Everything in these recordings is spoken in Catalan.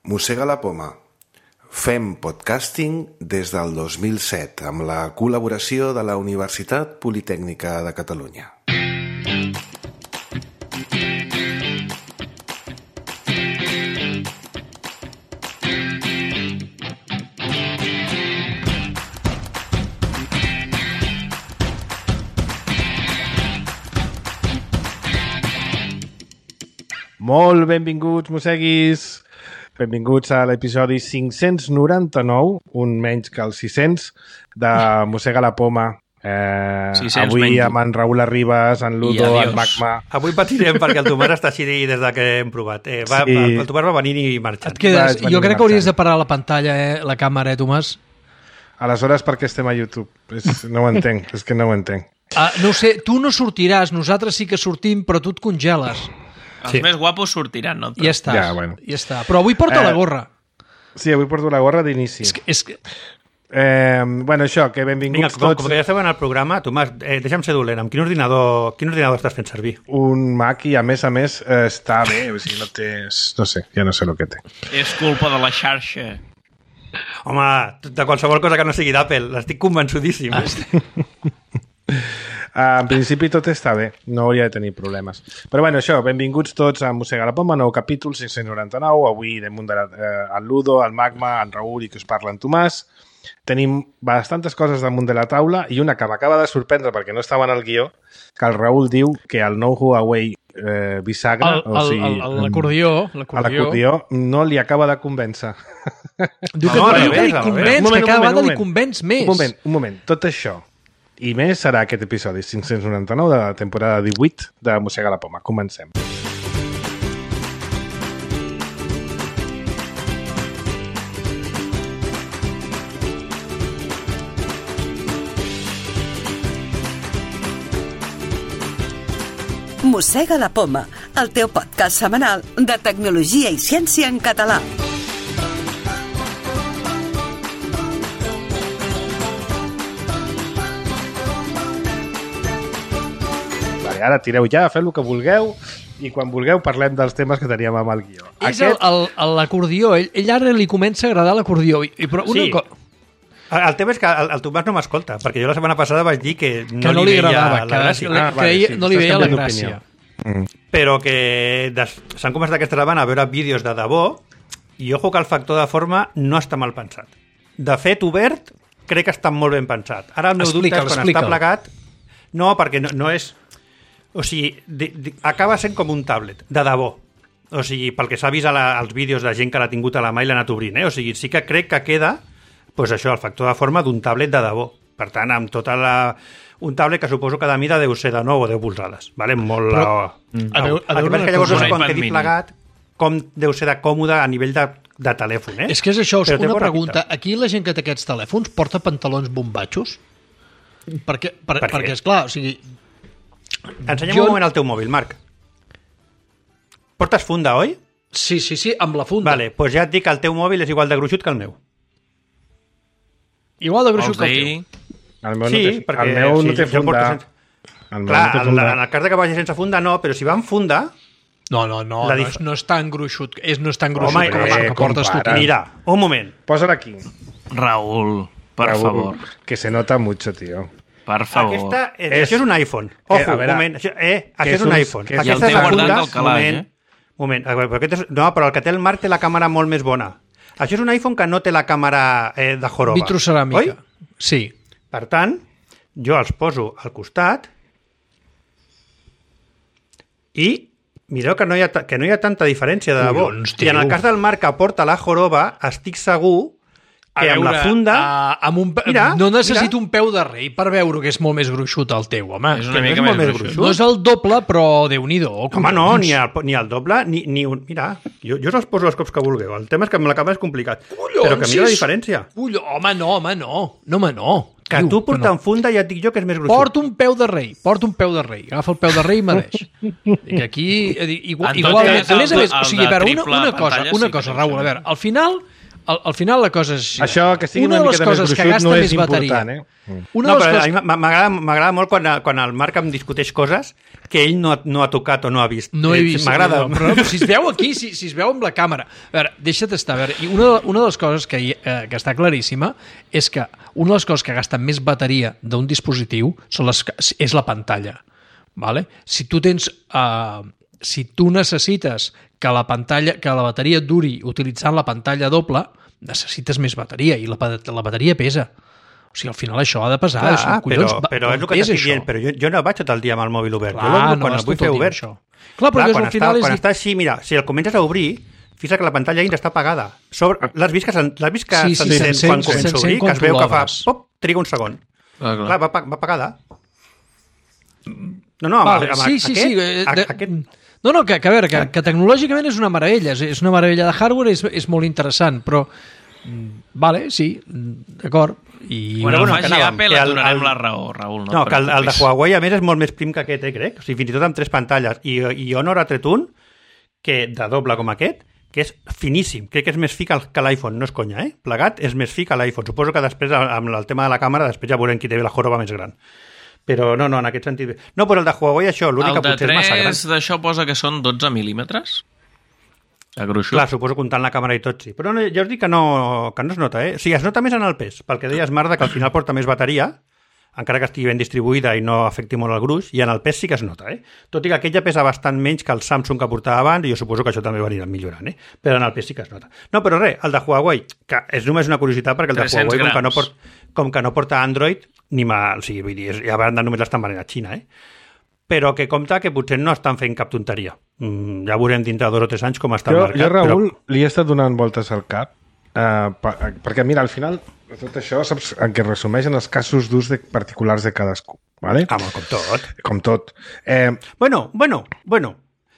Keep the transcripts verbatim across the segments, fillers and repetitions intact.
Mossega la poma. Fem podcasting des del dos mil set amb la col·laboració de la Universitat Politècnica de Catalunya. Molt benvinguts, mosseguis! Benvinguts a l'episodi cinc-cents noranta-nou, un menys que els sis-cents, de Mossega la poma. Eh, avui menys. Amb en Raül Arribas, en Ludo, en Magma... Avui patirem perquè el Tomàs està així des de que hem provat. Eh, va, sí. El Tomàs va venir i marxar. Et quedes, jo crec que hauries de parar la pantalla, eh, la càmera, eh, Tomàs? Aleshores, per què estem a YouTube? És, no ho entenc, és que no ho entenc. Uh, no ho sé, tu no sortiràs, nosaltres sí que sortim, però tu et congeles. Els sí. més guapos sortiran, no? Ja està, ja, bueno. ja està. Però avui porta eh, la gorra. Sí, avui porto la gorra d'inici. És que... És que... Eh, bueno, això, que benvinguts Vinga, com, tots. Com que ja esteu en el programa, Tomàs, eh, deixa'm ser dolent. Amb quin ordinador, quin ordinador estàs fent servir? Un Mac i, a més a més, eh, està bé. O sigui, no té... No sé, ja no sé el que té. És culpa de la xarxa. Home, de qualsevol cosa que no sigui d'Apple. L'estic convençudíssim. Ah, Uh, en principi tot està bé, no hauria de tenir problemes. Però bueno, això, benvinguts tots a Mossega la poma, nou capítol, cinc-cents noranta-nou. Avui damunt de la, eh, el Ludo, el Magma, en Raül i que us parla en Tomàs. Tenim bastantes coses damunt de la taula i una que m'acaba de sorprendre perquè no estava en el guió, que el Raül diu que el nou Huawei eh, bisagra, el, o sigui, l'acordió, l'acordió no li acaba de convèncer. Diu que, no, no, diu que li convenç, que cada vegada li convenç més. Un moment, un moment, tot això i més serà aquest episodi cinc-cents noranta-nou de la temporada divuit de Mossega la poma. Comencem. Mossega la poma, el teu podcast setmanal de tecnologia i ciència en català. Ara tireu ja, feu el que vulgueu i quan vulgueu parlem dels temes que teníem amb el guió. És Aquest... l'acordió, ell, ell ara li comença a agradar l'acordió. I, però una sí. co... El tema és que el, el Tomàs no m'escolta, perquè jo la setmana passada vaig dir que no, que no li, li veia agradava, la gràcia. Que, ah, vale, sí, no li veia la gràcia. Mm. Però que des... s'han començat aquesta setmana a veure vídeos de debò i ojo que el factor de forma no està mal pensat. De fet, obert, crec que està molt ben pensat. Ara el meu dubte és quan està plegat... No, perquè no, no és... O sigui, de, de, acaba sent com un tablet, de debò. O sigui, pel que s'ha vist la, als vídeos de gent que l'ha tingut a la mà i l'ha anat obrint, eh? O sigui, sí que crec que queda, pues això, el factor de forma d'un tablet de debò. Per tant, amb tota la... Un tablet que suposo que de mida deu ser de nou o deu polzades. Vale? Molt... Però, la... mm. a veure, a veure que llavors no sé quan quedi plegat, com deu ser de còmode a nivell de, de telèfon, eh? És que és això, és una pregunta. Repita. Aquí la gent que té aquests telèfons porta pantalons bombatxos? Perquè, per, per perquè esclar, o sigui... Ensenya'm jo... un moment el teu mòbil, Marc. Portes funda, oi? Sí, sí, sí, amb la funda. Vale, doncs ja et dic que el teu mòbil és igual de gruixut que el meu. Igual de gruixut que el teu? El meu sí, no té, perquè... El meu sí, no té funda. Sense... El Clar, no té funda. en el cas de que vagi sense funda no, però si va amb funda... No, no, no, la no, dif... és, no és tan gruixut, és, no és tan gruixut Home, com eh, que portes tu. Mira, un moment. Posa-la aquí. Raül, per Raül, favor. Que se nota mucho, tío. Per favor. Aquesta, eh, és, això és un iPhone. Ojo, eh, veure, un moment. Això, eh, això és un, un iPhone. I el té guardat al calaix, moment, eh? Moment. Aquest és, no, però el que té el Marc té la càmera molt més bona. Això és un iPhone que no té la càmera eh, de joroba. Vitroceràmica. Oi? Sí. Per tant, jo els poso al costat i mireu que no hi ha, que no hi ha tanta diferència de debò. I en el cas del Marc que porta la joroba, estic segur que a amb veure, la funda... Uh, amb un, mira, no necessito mira. un peu de rei per veure que és molt més gruixut el teu, home. És una que mica no és més, més gruixut. gruixut. No és el doble, però Déu-n'hi-do. Home, no, ni el, ni el doble, ni, ni un... Mira, jo, jo us els poso els cops que vulgueu. El tema és que amb la càmera és complicat. Collons, però que mira la diferència. Collons, home, no, home, no. No, home, no. Que Diu, tu portant no. funda ja et dic jo que és més gruixut. Porta un peu de rei, porta un peu de rei. Agafa el peu de rei i mereix. I que aquí... Igual, En tot igual, cas, a més a el més, de- o sigui, a el de veure, una, triple una cosa, pantalla una sí que cosa, deu Raül, ser. a veure, al final al, al final la cosa és... Això, que sigui una, una una miqueta més gruixut, no és important, eh? Una no, de les però coses... a mi m'agrada m'agrada molt quan, quan el Marc em discuteix coses que ell no, no ha tocat o no ha vist. No he vist. M'agrada. No, però no, si es veu aquí, si, si es veu amb la càmera... A veure, deixa't estar. A veure, i una, una de les coses que, eh, que està claríssima és que una de les coses que gasta més bateria d'un dispositiu són les, és la pantalla. Vale? Si tu tens... Eh, si tu necessites que la pantalla, que la bateria duri utilitzant la pantalla doble, necessites més bateria i la, la bateria pesa. O sigui, al final això ha de pesar. Clar, això, collons, però, però és el que t'estic dient, però jo, jo no vaig tot el dia amb el mòbil obert. Clar, jo l'obro no, quan el vull fer obert. Això. Clar, però Clar, quan, al final està, és... quan està així, mira, si el comences a obrir, fixa't que la pantalla dins està apagada. Sobre... L'has vist que s'encén sí, sí, sí, quan comença a obrir, que es veu que fa... Pop, triga un segon. Ah, clar. Clar, va, va apagada. No, no, amb, vale, amb, sí, sí, aquest, sí, de... aquest... No, no, que, que a veure, que, que tecnològicament és una meravella, és, és una meravella de hardware, és, és molt interessant, però vale, sí, d'acord. I... Quan bueno, el faci anàvem, Apple que et el- donarem el- la raó, Raül. No, No, que el, el de preocupis. Huawei, a més, és molt més prim que aquest, eh, crec. O sigui, fins i tot amb tres pantalles. I, i Honor ha tret un, que de doble com aquest, que és finíssim. Crec que és més fi que el- que l'iPhone, no és conya, eh? Plegat és més fi que l'iPhone. Suposo que després, amb el tema de la càmera, després ja veurem qui té la joroba més gran. Però no, no, en aquest sentit... No, però el de Huawei, això, l'únic El que de potser és massa gran. tres d'això posa que són dotze mil·límetres? De gruixut? Clar, suposo comptant la càmera i tot, sí. Però no, ja us dic que no, que no es nota, eh? O sigui, es nota més en el pes, pel que deies, Marta, que al final porta més bateria, encara que estigui ben distribuïda i no afecti molt el gruix, i en el pes sí que es nota, eh? Tot i que aquella pesa bastant menys que el Samsung que portava abans, i jo suposo que això també ho aniran millorant, eh? Però en el pes sí que es nota. No, però res, el de Huawei, que és només una curiositat, perquè el de tres-cents Huawei, com que, no grams. port, com que no porta Android, ni mal, o sigui, vull dir, és- ja van només l'estan venent a Xina, eh? Però que compta que potser no estan fent cap tonteria. Mm, ja veurem dintre de dos o tres anys com està Jo, el mercat. jo Raül, però... li he estat donant voltes al cap, uh, per, perquè, mira, al final, de tot això, saps en què resumeixen els casos d'ús de particulars de cadascú, ¿vale? Home, com tot. Com tot. Eh, Bueno, bueno, bueno.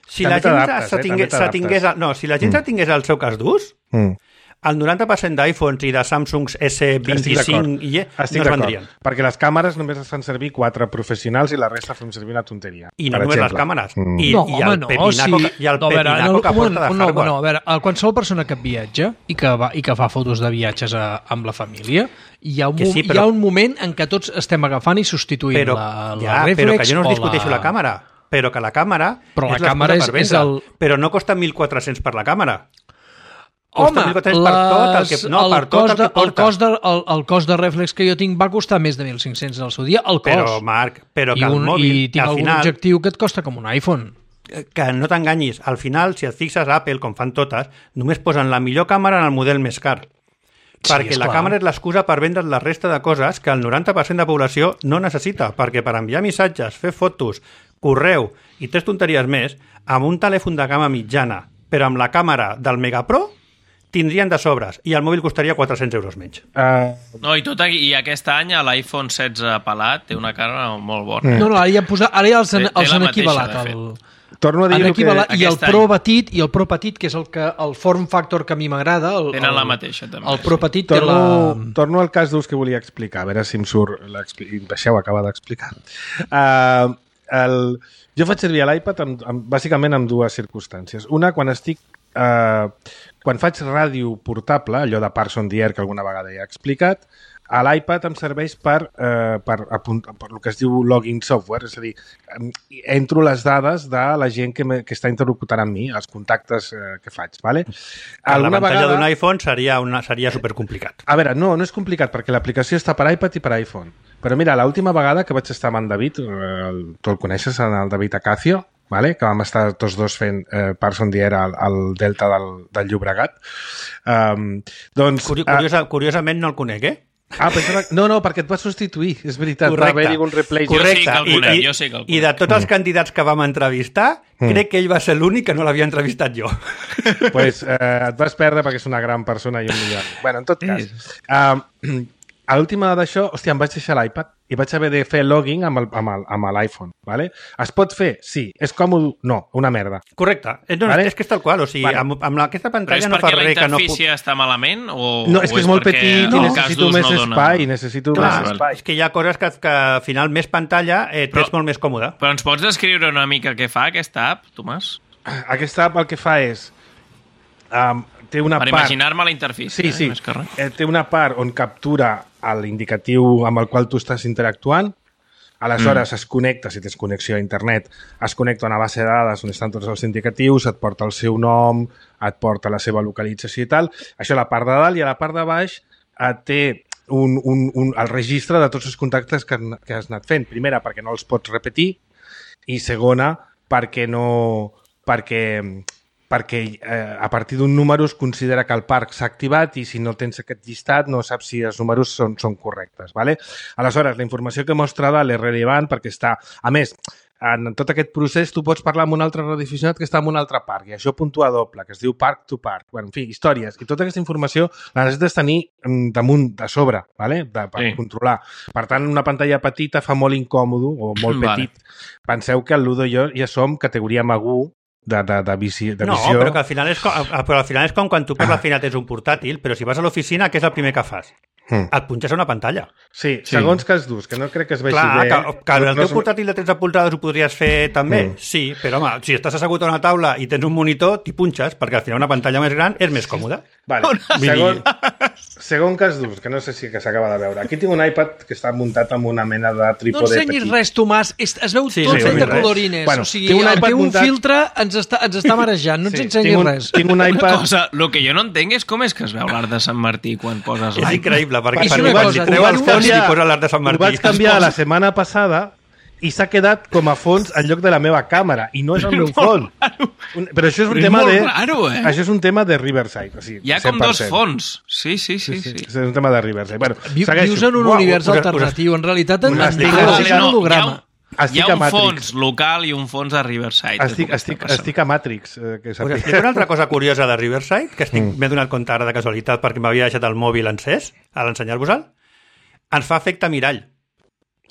Si També la gent t'adaptes, se eh? tingués, També se tingués, t'adaptes. no, si la gent mm. se tingués el seu cas d'ús, mm. el noranta per cent d'iPhones i de Samsungs S Estic vint-i-cinc d'acord. i E Estic no es d'acord. vendrien. Perquè les càmeres només es fan servir quatre professionals i la resta fem servir una tonteria. I no per només les exemple. càmeres. Mm. I, no, i home, el no, pepinaco, sí. que- i el no, a veure, pepinaco no, que un porta moment, de no, hardware. no, a veure, a qualsevol persona que viatja i que, va, i que fa fotos de viatges a, amb la família, hi ha, un, Que sí, hi però- ha un moment en què tots estem agafant i substituint però, la, la ja, reflex però que jo no us o discuteixo la... la càmera, però que la càmera Però la és l'excusa càmera és- per és vendre, el- però no costa mil quatre-cents per la càmera. Home, Costa mil quatre-cents per tot el que, no, el per tot cost el de, que porta. El cost, de, el, el cost de reflex que jo tinc va costar més de mil cinc-cents al seu dia, el cost. Però, Marc, però que I, el un, mòbil, i tinc al algun final... objectiu que et costa com un iPhone. Que no t'enganyis, al final, si et fixes a Apple, com fan totes, només posen la millor càmera en el model més car. Sí, Perquè la esclar. càmera és l'excusa per vendre la resta de coses que el noranta per cent de població no necessita, perquè per enviar missatges, fer fotos, correu i tres tonteries més, amb un telèfon de gamma mitjana, però amb la càmera del Mega Pro, tindrien de sobres, i el mòbil costaria quatre-cents euros menys. Uh, No, i, tot, aquí- i aquest any l'iPhone setze pelat té una cara molt bona. Mm. No, no, ara ja, han posat, ara ja els han, Té- té els la han mateixa, equivalat. de El, torno a dir han el que... equivalat I el aquest Pro any. petit, i el Pro petit, que és el, que, el form factor que a mi m'agrada, el, Tenen el, la mateixa, també. el Pro petit té Torno, la... torno al cas d'ús que volia explicar, a veure si em surt... l'expli- i Deixeu acabar d'explicar. Uh, el... Jo faig servir l'iPad amb, amb, bàsicament amb dues circumstàncies. Una, quan estic... Uh, quan faig ràdio portable, allò de Parson the Air que alguna vegada ja he explicat, a l'iPad em serveix per, eh, per, apunt, per el que es diu login software, és a dir, em- entro les dades de la gent que, me, que està interlocutant amb mi, els contactes eh, que faig. Vale? La pantalla d'un iPhone seria, una, seria supercomplicat. A veure, no, no és complicat, perquè l'aplicació està per iPad i per iPhone. Però mira, l'última vegada que vaig estar amb en David, eh, el, tu el coneixes, en el David Acacio, vale? Que vam estar tots dos fent eh, Parson the Air al, al Delta del, del Llobregat. Um, doncs, Curi curiosa, curiosament no el conec, eh? Ah, pensava... No, no, perquè et va substituir, és veritat. Va haver-hi un replay. Jo sí Correcte. que el conec, I, jo sí que el I de tots els candidats que vam entrevistar, Mm. crec que ell va ser l'únic que no l'havia entrevistat jo. Pues, eh, et vas perdre perquè és una gran persona i un millor. Bueno, en tot cas, uh, a l'última d'això, hòstia, em vaig deixar l'iPad i vaig haver de fer login amb el- amb el- amb l'iPhone, ¿vale? Es pot fer? Sí. És còmode? No, una merda. Correcte. Eh, No, Vale. és que és tal qual. O sigui, Vale. amb, amb aquesta Però pantalla és no fa perquè la res que no... interfície està malament? O, No, és o que és molt perquè petit el i cas necessito d'ús més no dona- espai, necessito Clar, més espai. és que hi ha coses que, que al final més pantalla eh, Però- és molt més còmode. Però ens pots descriure una mica què fa aquesta app, Tomàs? Aquesta app el que fa és... Um, té una per part... imaginar-me la interfície. Sí, sí. Eh, més que res. Eh, té una part on captura l'indicatiu amb el qual tu estàs interactuant. Aleshores mm. es connecta, si tens connexió a internet, es connecta a una base de dades on estan tots els indicatius, et porta el seu nom, et porta la seva localització i tal. Això a la part de dalt, i a la part de baix eh, té un, un, un, el registre de tots els contactes que, que has anat fent. Primera, perquè no els pots repetir, i segona, perquè no... perquè, perquè eh, a partir d'un número es considera que el parc s'ha activat i si no tens aquest llistat no saps si els números són, són correctes. ¿Vale? Aleshores, la informació que mostra dalt és rellevant perquè està... A més, en tot aquest procés tu pots parlar amb un altre radioaficionat que està en un altre parc i això puntua doble, que es diu park to park. Bueno, en fi, històries. I tota aquesta informació la necessites tenir damunt, de sobre, ¿vale? de, per sí. controlar. Per tant, una pantalla petita fa molt incòmodo o molt Vale. petit. Penseu que el Ludo i jo ja som categoria Magú de, de, de, visió, de no, visió. No, però que al final és com, però al final és com quan tu per la feina tens un portàtil, però si vas a l'oficina, què és el primer que fas? Mm. Et punxes a una pantalla. Sí, sí, segons que es dus, que no crec que es vegi Clar, bé. Que, que el no, teu no... portàtil de tretze polzades ho podries fer també? Mm. Sí, però home, si estàs assegut a una taula i tens un monitor, t'hi punxes, perquè al final una pantalla més gran és més còmoda. Vale. Segon, segon cas d'ús, que no sé si que s'acaba de veure. Aquí tinc un iPad que està muntat amb una mena de trípode petit. No ensenyis res, Tomàs. Es, es veu sí, tot sí, fet de colorines. Bueno, o sigui, el teu muntat... filtre ens està, ens està marejant. No ens sí, ensenyis tinc un, res. Tinc un iPad... Una cosa, el que jo no entenc és com és que es veu l'art de Sant Martí quan poses... És increïble, perquè per mi si treu els fons i posa l'art de Sant Martí. Ho vaig canviar la setmana passada i s'ha quedat com a fons en lloc de la meva càmera i no és el meu fons. Un, però això és un però tema és de raro, eh? això és un tema de Riverside, o sigui, hi ha com dos fons. Sí, sí, sí, sí. sí. És un tema de Riverside. Bueno, Vius en un wow, univers us, alternatiu. En realitat en estic, estic no, un holograma. Hi ha un fons local i un fons a Riverside. Estic, estic, estic a Matrix. Eh, que Us explico una altra cosa curiosa de Riverside, que estic mm. m'he donat compte ara de casualitat perquè m'havia deixat el mòbil encès, a l'ensenyar-vos-el. Ens fa efecte mirall.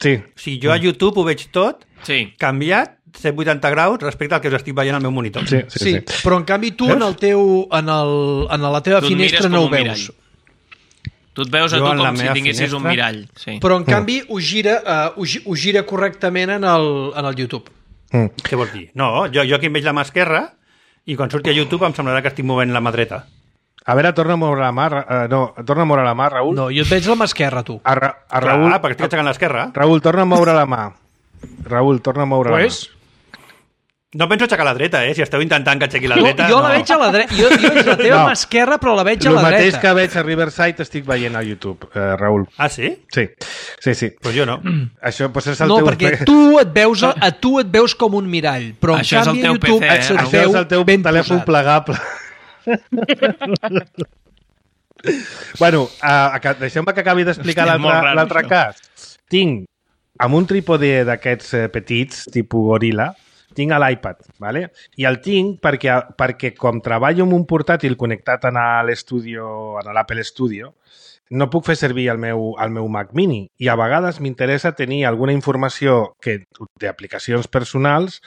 Sí. Si jo a YouTube ho veig tot, sí. canviat cent vuitanta graus respecte al que us estic veient al meu monitor. Sí, sí, sí, sí. Però en canvi tu en, el teu, en, el, en la teva tu finestra no ho veus. Tu et veus a jo tu com si finestra, tinguessis un mirall. Sí. Però en canvi ho gira, uh, ho, ho gira correctament en el, en el YouTube. Mm. Què vols dir? No, jo, jo aquí em veig la mà esquerra i quan surti a YouTube em semblarà que estic movent la mà dreta. A veure, torna a moure la mà, uh, no, torna a moure la mà, Raül. No, jo et veig la mà esquerra, tu. A, Ra a Raül... Clar, perquè estic aixecant l'esquerra. Raül, torna a moure la mà. Raül, torna a moure pues? la mà. No penso aixecar la dreta, eh? Si esteu intentant que aixequi la dreta... Jo, jo no. la veig a la dreta. Jo, jo veig la teva no. mà esquerra, però la veig a la dreta. El mateix que veig a Riverside estic veient a YouTube, eh, Raül. Ah, sí? Sí, sí, sí. Pues jo no. Això pues, és el no, teu... perquè tu et, veus, a tu et veus com un mirall, però això en canvi a YouTube P C, eh? se't Això veu és el teu ben telèfon posat. plegable. Bueno, uh, deixeu-me que acabi d'explicar l'altre cas. Tinc, amb un trípode d'aquests eh, petits, tipus goril·la, tinc a l'iPad, ¿vale? I el tinc perquè, perquè com treballo amb un portàtil connectat a l'Studio, a l'Apple Studio, no puc fer servir el meu, el meu Mac Mini i a vegades m'interessa tenir alguna informació que d'aplicacions personals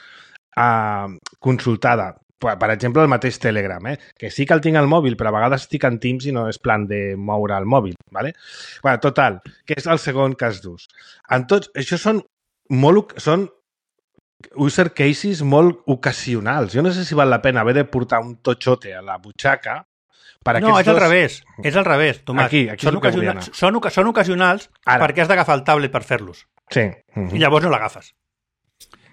eh, consultada. Per exemple, el mateix Telegram, eh? Que sí que el tinc al mòbil, però a vegades estic en Teams i no és plan de moure el mòbil, ¿vale? Bueno, total, que és el segon cas d'ús. En tots, això són molt, són user cases molt ocasionals. Jo no sé si val la pena haver de portar un totxote a la butxaca per no, és dos... al revés. És al revés, Tomàs. Aquí, aquí són, ocasionals, són, són ocasionals Ara. perquè has d'agafar el tablet per fer-los. Sí. Uh-huh. I llavors no l'agafes.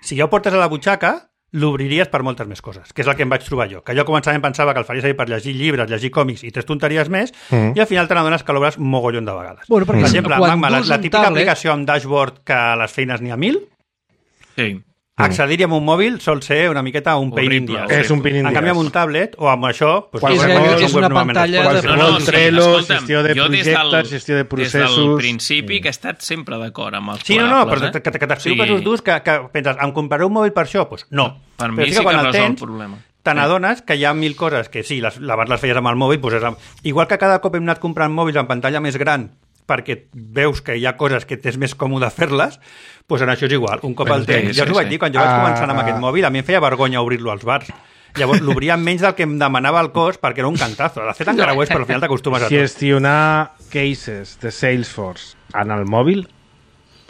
Si ja ho portes a la butxaca, l'obriries per moltes més coses, que és el que em vaig trobar jo. Que jo començament pensava que el faria servir per llegir llibres, llegir còmics i tres tonteries més, mm. i al final te n'adones que l'obres mogollon de vegades. Bueno, per exemple, Magma, la, la típica tablet... aplicació amb dashboard que a les feines n'hi ha mil, sí. accedir-hi amb un mòbil sol ser una miqueta un pain in the ass. És un pain in the ass. En canvi, amb un tablet o amb això... Pues, és, és, és una pantalla... De... No, no, sí, Trello, gestió de projectes, del, gestió de processos... Des del principi que he estat sempre d'acord amb els sí, no, no, però eh? que, que t'explico sí. casos durs que, que penses, em compraré un mòbil per això? Pues no. Per però mi sí que, que resol tens, el problema. Te n'adones que hi ha mil coses que sí, les, abans les feies amb el mòbil, pues és, igual que cada cop hem anat comprant mòbils en pantalla més gran perquè veus que hi ha coses que t'és més còmode fer-les, doncs en això és igual. Un cop el tens. Sí, ja us ho vaig dir, quan jo vaig començar amb aquest mòbil, a mi em feia vergonya obrir-lo als bars. Llavors l'obria menys del que em demanava el cost perquè era un cantazo. De fet, encara ho és, però al final t'acostumes a tot. Gestionar cases de Salesforce en el mòbil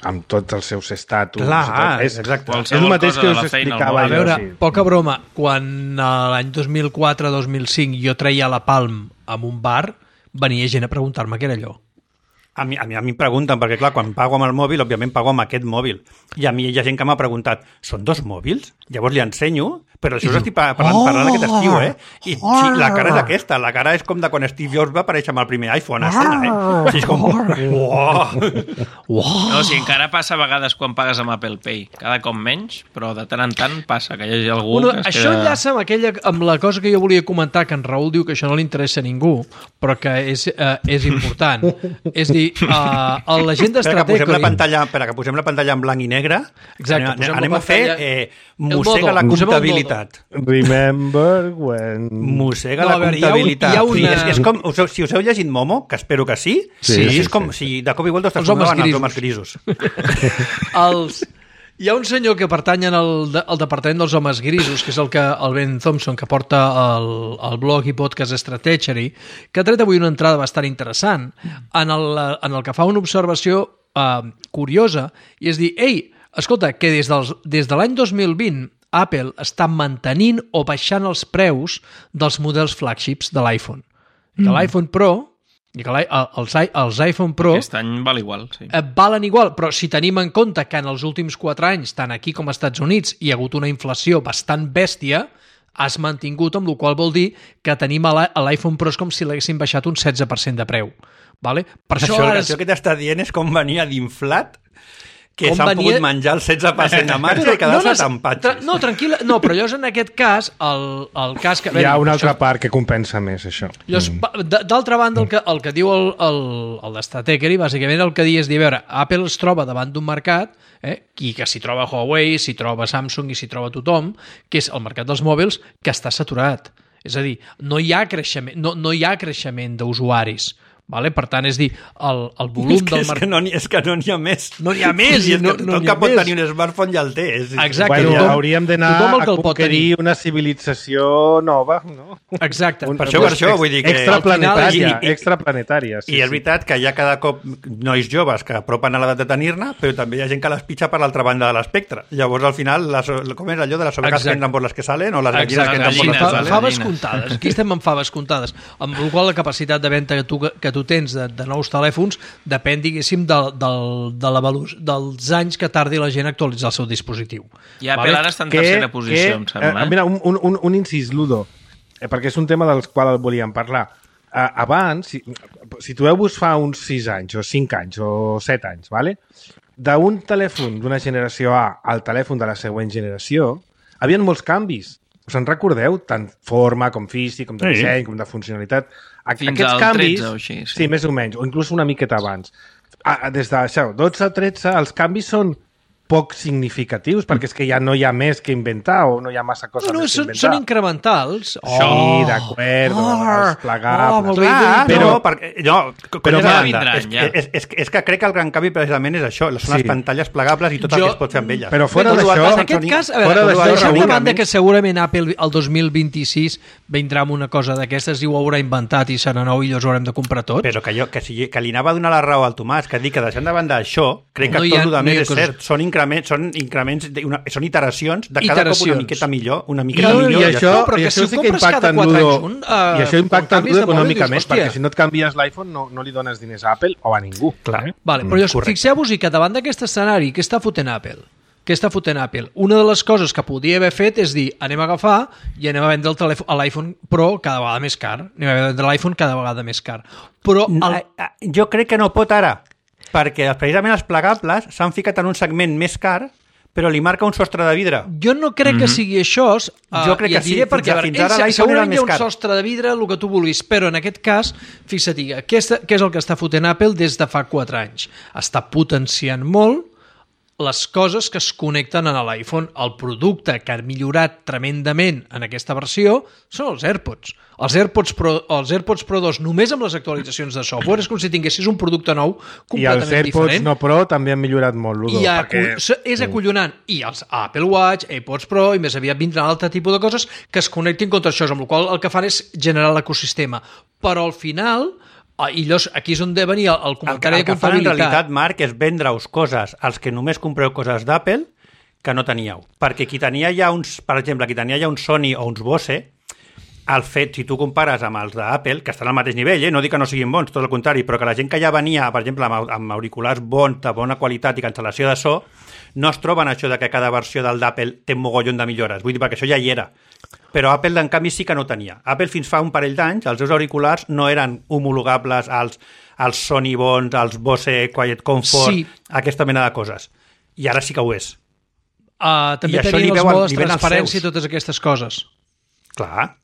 amb tots els seus estatus. Clar, és, exacte. És el mateix que us explicava A veure, jo. Sí. poca broma, quan l'any dos mil quatre dos mil cinc jo treia la Palm en un bar, venia gent a preguntar-me què era allò. A mi, a mi, a mi em pregunten, perquè clar, quan pago amb el mòbil, òbviament pago amb aquest mòbil. I a mi hi ha gent que m'ha preguntat, són dos mòbils? Llavors li ensenyo, però això us estic parlant, parlant aquest estiu, eh? I sí, la cara és aquesta, la cara és com de quan Steve Jobs va aparèixer amb el primer iPhone a escena, eh? Sí, és com... Uau! No, o sigui, encara passa a vegades quan pagues amb Apple Pay. Cada cop menys, però de tant en tant passa que hi hagi algú Bueno, que es això queda... enllaça amb, aquella, amb la cosa que jo volia comentar, que en Raül diu que això no li interessa a ningú, però que és, uh, és important. És dir, uh, la gent Espera, que posem la d'Strategy... pantalla, espera, que posem la pantalla en blanc i negre. Exacte, anem, posem la anem a fer pantalla- eh, El mossega modo, la posem el comptabilitat. Remember when... Mossega No, la a veure, hi ha un- comptabilitat. hi ha una- Sí, és, és com, us heu, si us heu llegit Momo, que espero que sí, Sí, sí, sí, és com sí. si de cop i volta us Els homes transformaven els grisos. homes grisos. Els... Hi ha un senyor que pertany al, de, al departament dels homes grisos, que és el, que, el Ben Thompson, que porta el, el blog i podcast Stratechery, que ha tret avui una entrada bastant interessant en el, en el que fa una observació eh, curiosa, i és dir, ei, escolta, que des, dels, des de l'any dos mil vint Apple està mantenint o baixant els preus dels models flagships de l'iPhone. Que mm. l'iPhone Pro, i que l'i- els, i- els iPhone Pro Aquest any val igual, sí. eh, valen igual, però si tenim en compte que en els últims quatre anys, tant aquí com als Estats Units, hi ha hagut una inflació bastant bèstia, has mantingut, amb la qual vol dir que tenim a l'i- a l'iPhone Pro és com si l'haguessin baixat un setze per cent de preu. Vale? Per això, Això, ara això que t'està dient és com venia d'inflat, que Com s'han venia- pogut menjar el setze per cent de marxa i quedar-se no, tan tra patxis. no, tranquil·la, no, però llavors en aquest cas, el, el cas que... Hi ha una altra això- part que compensa més, això. Llavors, pa- d- d'altra banda, el que, el que diu el, el, el d'Stratechery, bàsicament el que diu és dir, a veure, Apple es troba davant d'un mercat, eh, i que s'hi troba Huawei, s'hi troba Samsung i s'hi troba tothom, que és el mercat dels mòbils, que està saturat. És a dir, no hi ha creixement, no, no hi ha creixement d'usuaris. Vale? Per tant, és dir, el, el volum És que, del és, que mercat... no, n'hi- és que no n'hi ha més. No n'hi ha més, I és no- que no tothom n'hi ha que pot més. tenir un smartphone ja el té. És, Exacte. Bueno, tothom- hauríem d'anar tothom el que a el pot conquerir tenir. una civilització nova, no? Exacte. Un- Per això, per això, vull dir que- Extraplanetària, al final- i- i- extraplanetària. Sí, I és sí. veritat que hi ha cada cop nois joves que apropen a l'edat de tenir-ne, però també hi ha gent que les pitja per l'altra banda de l'espectre. Llavors, al final, la, so- com és allò de les ovejas Exacte. que entren per les que salen o les gallines Exacte, que entren per sí, les gallines, que fa, salen? faves gallines. comptades. Aquí estem amb faves comptades. Amb la qual la capacitat de venda que tu, que tu tens de, de nous telèfons depèn, diguéssim, del, del, de la velu- dels anys que tardi la gent a actualitzar el seu dispositiu. I Apple Vale? ara està en tercera posició, em sembla. Eh, mira, un, un, un, un incís, Ludo, eh, perquè és un tema del qual volíem parlar. Eh, abans, si, situeu-vos fa uns sis anys, o cinc anys, o set anys, vale? D'un telèfon d'una generació A al telèfon de la següent generació, havien molts canvis. Us en recordeu? Tant forma, com físic, com de Sí. disseny, com de funcionalitat. A Fins Aquests al canvis, tretze o així, sí. sí, més o menys, o inclús una miqueta abans. A, a, des de això, dotze a tretze, els canvis són poc significatius, perquè és que ja no hi ha més que inventar o no hi ha massa cosa No, no, més que són, inventar. són incrementals. Sí, d'acord, els plegables. Oh, molt bé, Clar, Però- però, no, perquè, no, però però ja vindran, és, ja. és, és, és que crec que el gran canvi precisament és això, són les Sí. pantalles plegables i tot el Jo- que es pot fer amb elles. Però fora Tot d'això- el En que aquest són- cas, a fora veure, d'això, deixem de Raül, banda únicament- que segurament Apple el dos mil vint-i-sis vindrà amb una cosa d'aquestes i ho haurà inventat i serà nou i llavors ho haurem de comprar tot. Però que, jo, que, si, que li anava a donar la raó al Tomàs, que ha dit que deixant de banda això, crec que No hi tot ha- el no hi més ha és coses- cert. Són increments, són increments de una, són iteracions de cada Iteracions. cop una miqueta millor, una I, miqueta i, millor. i ja això, està. No, però i que això si ho sí que compres impacta cada en quatre Ludo, anys un, eh, i això quan impacta en canvis Ludo de mòbil, econòmicament, dius, hòstia. perquè si no et canvies l'iPhone no, no li dones diners a Apple o a ningú. Clar. Eh? Vale, però llavors, correcte. fixeu-vos-hi que davant d'aquest escenari, què està fotent Apple? Què està fotent Apple? Una de les coses que podria haver fet és dir, anem a agafar i anem a vendre el telèfon, a l'iPhone Pro cada vegada més car. Anem a vendre l'iPhone cada vegada més car. Però el, Eh, eh, Jo crec que no pot ara, perquè precisament els plegables s'han ficat en un segment més car, però li marca un sostre de vidre. jo no crec que sigui això. Uh, Jo crec i que et diré sí, perquè, fins a- a veure, fins ara ells, l'iPhone era segurament hi ha més un car. sostre de vidre, el que tu vulguis, però en aquest cas, fixa't, què és, què és el que està fotent Apple des de fa quatre anys? Està potenciant molt les coses que es connecten a l'iPhone. El producte que ha millorat tremendament en aquesta versió són els AirPods. Els AirPods Pro, els AirPods Pro dos, només amb les actualitzacions de software, és com si tinguessis un producte nou I els completament AirPods diferent. no Pro també han millorat molt, Ludo. I perquè... acu- és acollonant. I els Apple Watch, AirPods Pro, i més aviat vindran altre tipus de coses que es connectin contra això, amb la qual cosa el que fan és generar l'ecosistema. Però al final, Oh, I llavors, aquí és on de venir el, el comentari el, el de comptabilitat. El que fan en realitat, Marc, és vendre-us coses als que només compreu coses d'Apple que no teníeu. Perquè qui tenia ja uns, per exemple, qui tenia ja un Sony o uns Bose, el fet, si tu compares amb els d'Apple, que estan al mateix nivell, eh? No dic que no siguin bons, tot el contrari, però que la gent que ja venia, per exemple, amb, amb auriculars bons, de bona qualitat i cancel·lació de so, no es troben això de que cada versió del d'Apple té un mogollon de millores. Vull dir, perquè això ja hi era. Però Apple, en canvi, sí que no tenia. Apple, fins fa un parell d'anys, els seus auriculars no eren homologables als, als Sony bons, als Bose Quiet Comfort, sí. Aquesta mena de coses. I ara sí que ho és. Uh, també tenien els modes transparència i totes aquestes coses. Clar.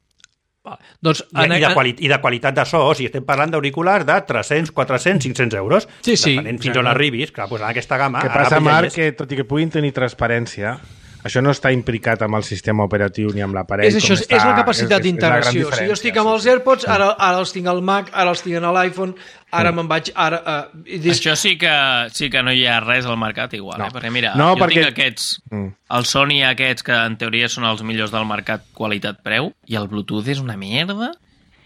Va, doncs, I, i, de quali I de qualitat de so, o sigui, estem parlant d'auriculars de tres-cents, quatre-cents, cinc-cents euros, sí, sí, depenent fins on arribis, clar, doncs en aquesta gamma... Què passa, Marc, que tot i que puguin tenir transparència, això no està implicat amb el sistema operatiu ni amb l'aparell. És això, està, és la capacitat d'integració. Si jo estic amb els AirPods, sí. ara, ara els tinc al Mac, ara els tinc a l'iPhone, ara mm. me'n vaig... Ara, uh, dis... Això sí que, sí que no hi ha res al mercat igual, no. eh? Perquè mira, no, jo perquè... tinc aquests, mm. els Sony aquests que en teoria són els millors del mercat qualitat-preu, i el Bluetooth és una merda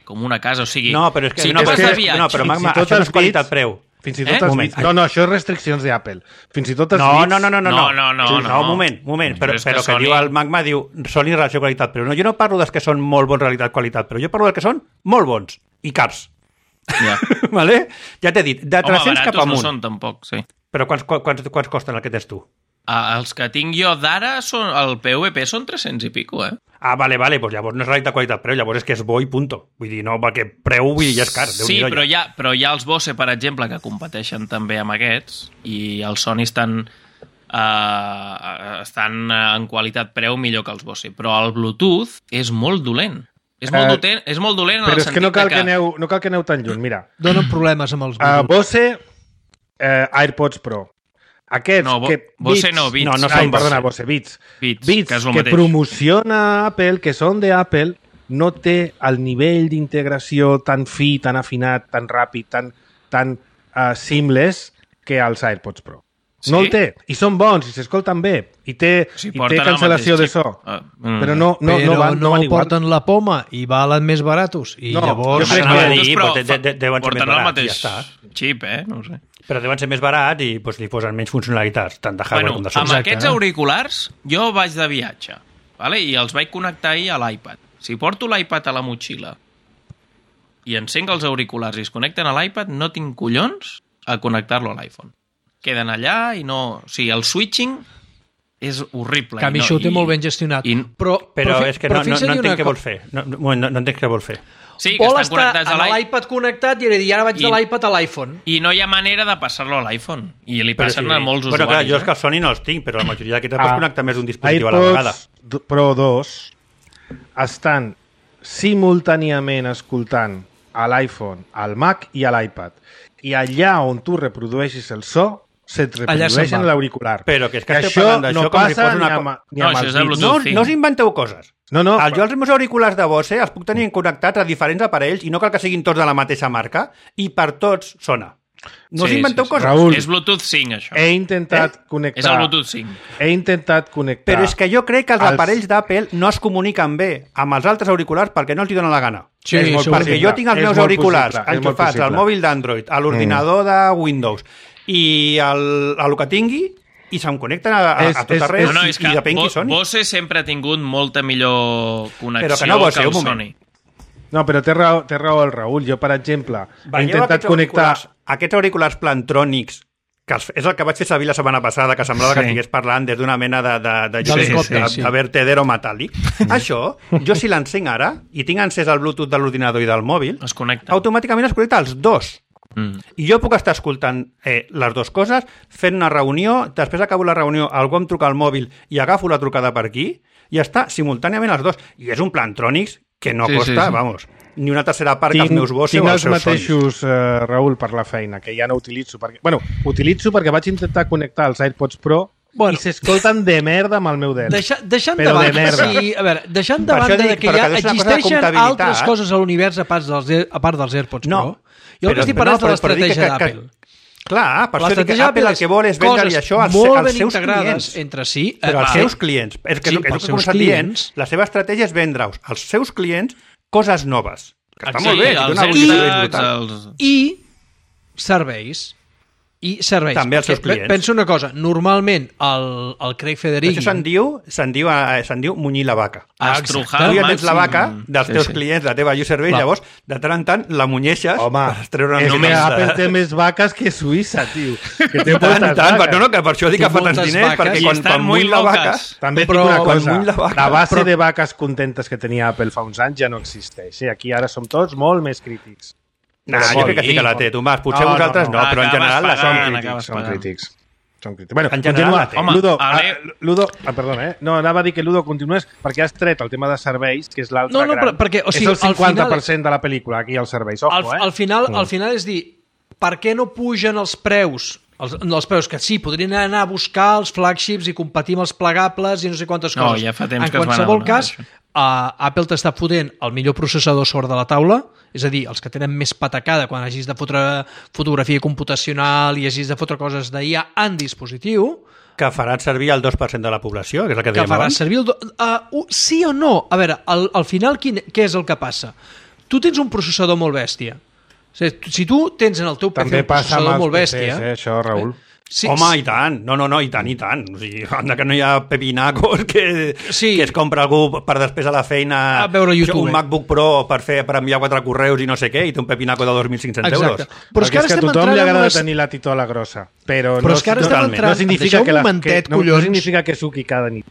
com una casa, o sigui... No, però és que... Si no, tu vas és de viatge... No, però Magma, si això no és qualitat-preu. Fins i tot eh? els... No, no, això és restriccions d'Apple. Fins i tot els no, bits... no, no, no, no, no, no, no, sí, no, no, un moment, un moment, però, però, però que, Sony... diu el Magma, diu Sony relació qualitat-preu. No, jo no parlo dels que són molt bons realitat-qualitat, però jo parlo dels que són molt bons i cars. Ja. Vale? Ja t'he dit, de tres-cents cap amunt. No són tampoc, sí. Però quants, quants, quants costen el que tens tu? Ah, els que tinc jo d'ara, són el P V P són tres-cents i pico, eh? Ah, vale, vale, doncs llavors no és realitat qualitat preu, llavors és que és bo i punto. Vull dir, no, perquè preu vull dir, ja és car. Sí, però hi, ha, però hi ha els Bose, per exemple, que competeixen també amb aquests, i els Sony estan, uh, estan en qualitat preu millor que els Bose. Però el Bluetooth és molt dolent. És molt, uh, dolent, és molt dolent en però el és que no cal que... que, aneu, no cal que aneu tan lluny, mira. Donen problemes amb els Bluetooth. Uh, Bose, uh, AirPods Pro. Aquests no, bo, que... Bose no, Beats. No, no són Ai, perdona, Bose, Beats. Beats, Beats que, que promociona Apple, que són d'Apple, no té el nivell d'integració tan fi, tan afinat, tan ràpid, tan, tan uh, seamless que els AirPods Pro. Sí? No el té. I són bons, i s'escolten bé. I té, sí, i té cancel·lació de so. Uh, mm. Però no, no, però no van, no no van igual. porten la poma i valen més baratos. I no, llavors... Jo crec que... Dir, però, de, de, deuen ser porten més el barats, mateix ja està. Xip, eh? No ho sé. Però deuen ser més barats i doncs, li posen menys funcionalitats, tant de hardware bueno, com de software. Amb aquests auriculars, jo vaig de viatge, vale? I els vaig connectar ahir a l'iPad. Si porto l'iPad a la motxilla i encenc els auriculars i es connecten a l'iPad, no tinc collons a connectar-lo a l'iPhone. Queden allà i no... O sigui, el switching és horrible. Que a mi no, això ho té i, molt ben gestionat. I, però, però, però és que però no, no, no entenc què vol fer. No, no, no, no entenc què vol fer. Sí, que vol estan connectats estar a amb l'iPad connectat i, i ara vaig I, de l'iPad a l'iPhone. I no hi ha manera de passar-lo a l'iPhone. I li passen sí. a molts bueno, usuaris. Clar, jo és eh? que el Sony no els tinc, però la majoria d'aquests ah, pots connectar més d'un dispositiu AirPods a la vegada. Pro dos estan simultàniament escoltant a l'iPhone, al Mac i a l'iPad. I allà on tu reprodueixis el so, se't reprodueix en l'auricular. Però que és que, que estem parlant d'això no com si fos una... Ni amb, ni no, amb això és de no, no us inventeu coses. No, no, el, jo els meus auriculars de Bose els puc tenir connectats a diferents aparells i no cal que siguin tots de la mateixa marca i per tots sona. No sí, us inventeu sí, sí. coses. Raül, és Bluetooth cinc, això. He intentat eh? connectar... És el Bluetooth cinc. He intentat connectar... Però és que jo crec que els, els... aparells d'Apple no es comuniquen bé amb els altres auriculars perquè no els hi donen la gana. Sí, és molt perquè possible. jo tinc els és meus auriculars possible. enxufats al mòbil d'Android, a l'ordinador mm. de Windows i el, el que tingui i se'm connecten a, a, és, a tot arreu no, no, és i, i depèn qui soni. Bose sempre ha tingut molta millor connexió però que, no que el el Sony. No, però té raó, té raó el Raül. Jo, per exemple, Veieu he intentat aquests connectar... Auriculars, aquests auriculars plantrònics, que els, és el que vaig fer servir la setmana passada, que semblava sí. que estigués parlant des d'una mena de, de, de, de, sí, de, sí. de vertedero metàl·lic. Això, jo si l'encenc ara, i tinc encès el Bluetooth de l'ordinador i del mòbil, es connecta. automàticament es connecta els dos. Mm. I jo puc estar escoltant eh, les dues coses, fent una reunió, després acabo la reunió, algú em truca al mòbil i agafo la trucada per aquí, i ja està, simultàniament els dos. I és un Plantronics que no sí, costa, sí, sí. vamos, ni una tercera part tinc, que els meus Bose tinc o els els seus mateixos, uh, Raül, per la feina, que ja no utilitzo. Perquè, bueno, utilitzo perquè vaig intentar connectar els AirPods Pro bueno, i s'escolten de merda amb el meu dent. Deixa, deixant Però de de merda. Sí, a veure, deixant de banda de que ja existeixen altres coses a l'univers a part dels, a part dels AirPods no, Pro, jo el que estic parlant no, és de l'estratègia d'Apple. Clar, per això dic que Apple el que vol és vendre-li això als, als seus clients. Entre si, però als eh, seus clients. És que, sí, és el que començat dient, la seva estratègia és vendre-us als seus clients coses noves. Que està molt bé, els dona uns AirTags, serveis brutals. els... I serveis. I serveis. També als Perquè seus clients. Pensa una cosa, normalment el, el Craig Federighi... Això se'n diu, se'n diu, eh, se'n diu munyir la vaca. Ah, Estrujar Tu al ja tens la màxim. vaca dels Sí, teus sí. clients, de la teva user base, Clar. llavors, de tant en tant, la munyeixes Home, per treure és una que mica Apple de... té més vaques que Suïssa, tio. Que té De tant en moltes tant, vaques. no, no, que per això dic Té que fa tants moltes diners, vaques perquè i quan, estan quan muy muny la vaca... locas. També Però dic una quan cosa, muny la vaca- la base però- de vaques contentes que tenia Apple fa uns anys ja no existeix. Sí, aquí ara som tots molt més crítics. Nah, Però jo molt crec que sí que la té, Tomàs. Potser No, no, vosaltres no, no. però en Acabes general la pagant, som acabes crítics. Són pagant. crítics. Són crítics. Bueno, En general, continua. la té. Home, Ludo, a ah, veure- Ludo, ah, perdona, eh? No, anava a dir que Ludo continués perquè has tret el tema de serveis, que és l'altre No, no, gran. però- perquè, o sigui, és el al final- cinquanta per cent de la pel·lícula, aquí, els serveis. Ojo, al, eh? al, final, Mm. al final és dir, per què no pugen els preus? Els, no, els preus que sí, podrien anar a buscar els flagships i competir amb els plegables i no sé quantes No, coses. ja fa temps en que es van qualsevol adonar cas, d'això. uh, Apple t'està fotent el millor processador sobre de la taula, és a dir, els que tenen més patacada quan hagis de fotre fotografia computacional i hagis de fotre coses d'I A en dispositiu, Que faran servir el dos per cent de la població, que és el que que dèiem farà abans. servir el... Do... Uh, uh, sí o no? A veure, al, al final quin, què és el que passa? Tu tens un processador molt bèstia. O sigui, si tu tens en el teu P C També un passa amb processador els molt P bèstia... Cs, eh, això, Raül. Sí, Home, i tant. No, no, no, i tant, i tant. O sigui, anda que no hi ha pepinacos que, Sí. que es compra algú per després a la feina A veure YouTube. un MacBook Pro per fer per enviar quatre correus i no sé què, i té un pepinaco de dos mil cinc-cents euros. Exacte. Però és Perquè que ara és que a estem tothom entrant li en agrada unes... tenir la titola grossa, però, Però no, és que ara no, estem no entrant- significa deixeu que, un la, momentet, que no, no collons. significa que suqui cada nit.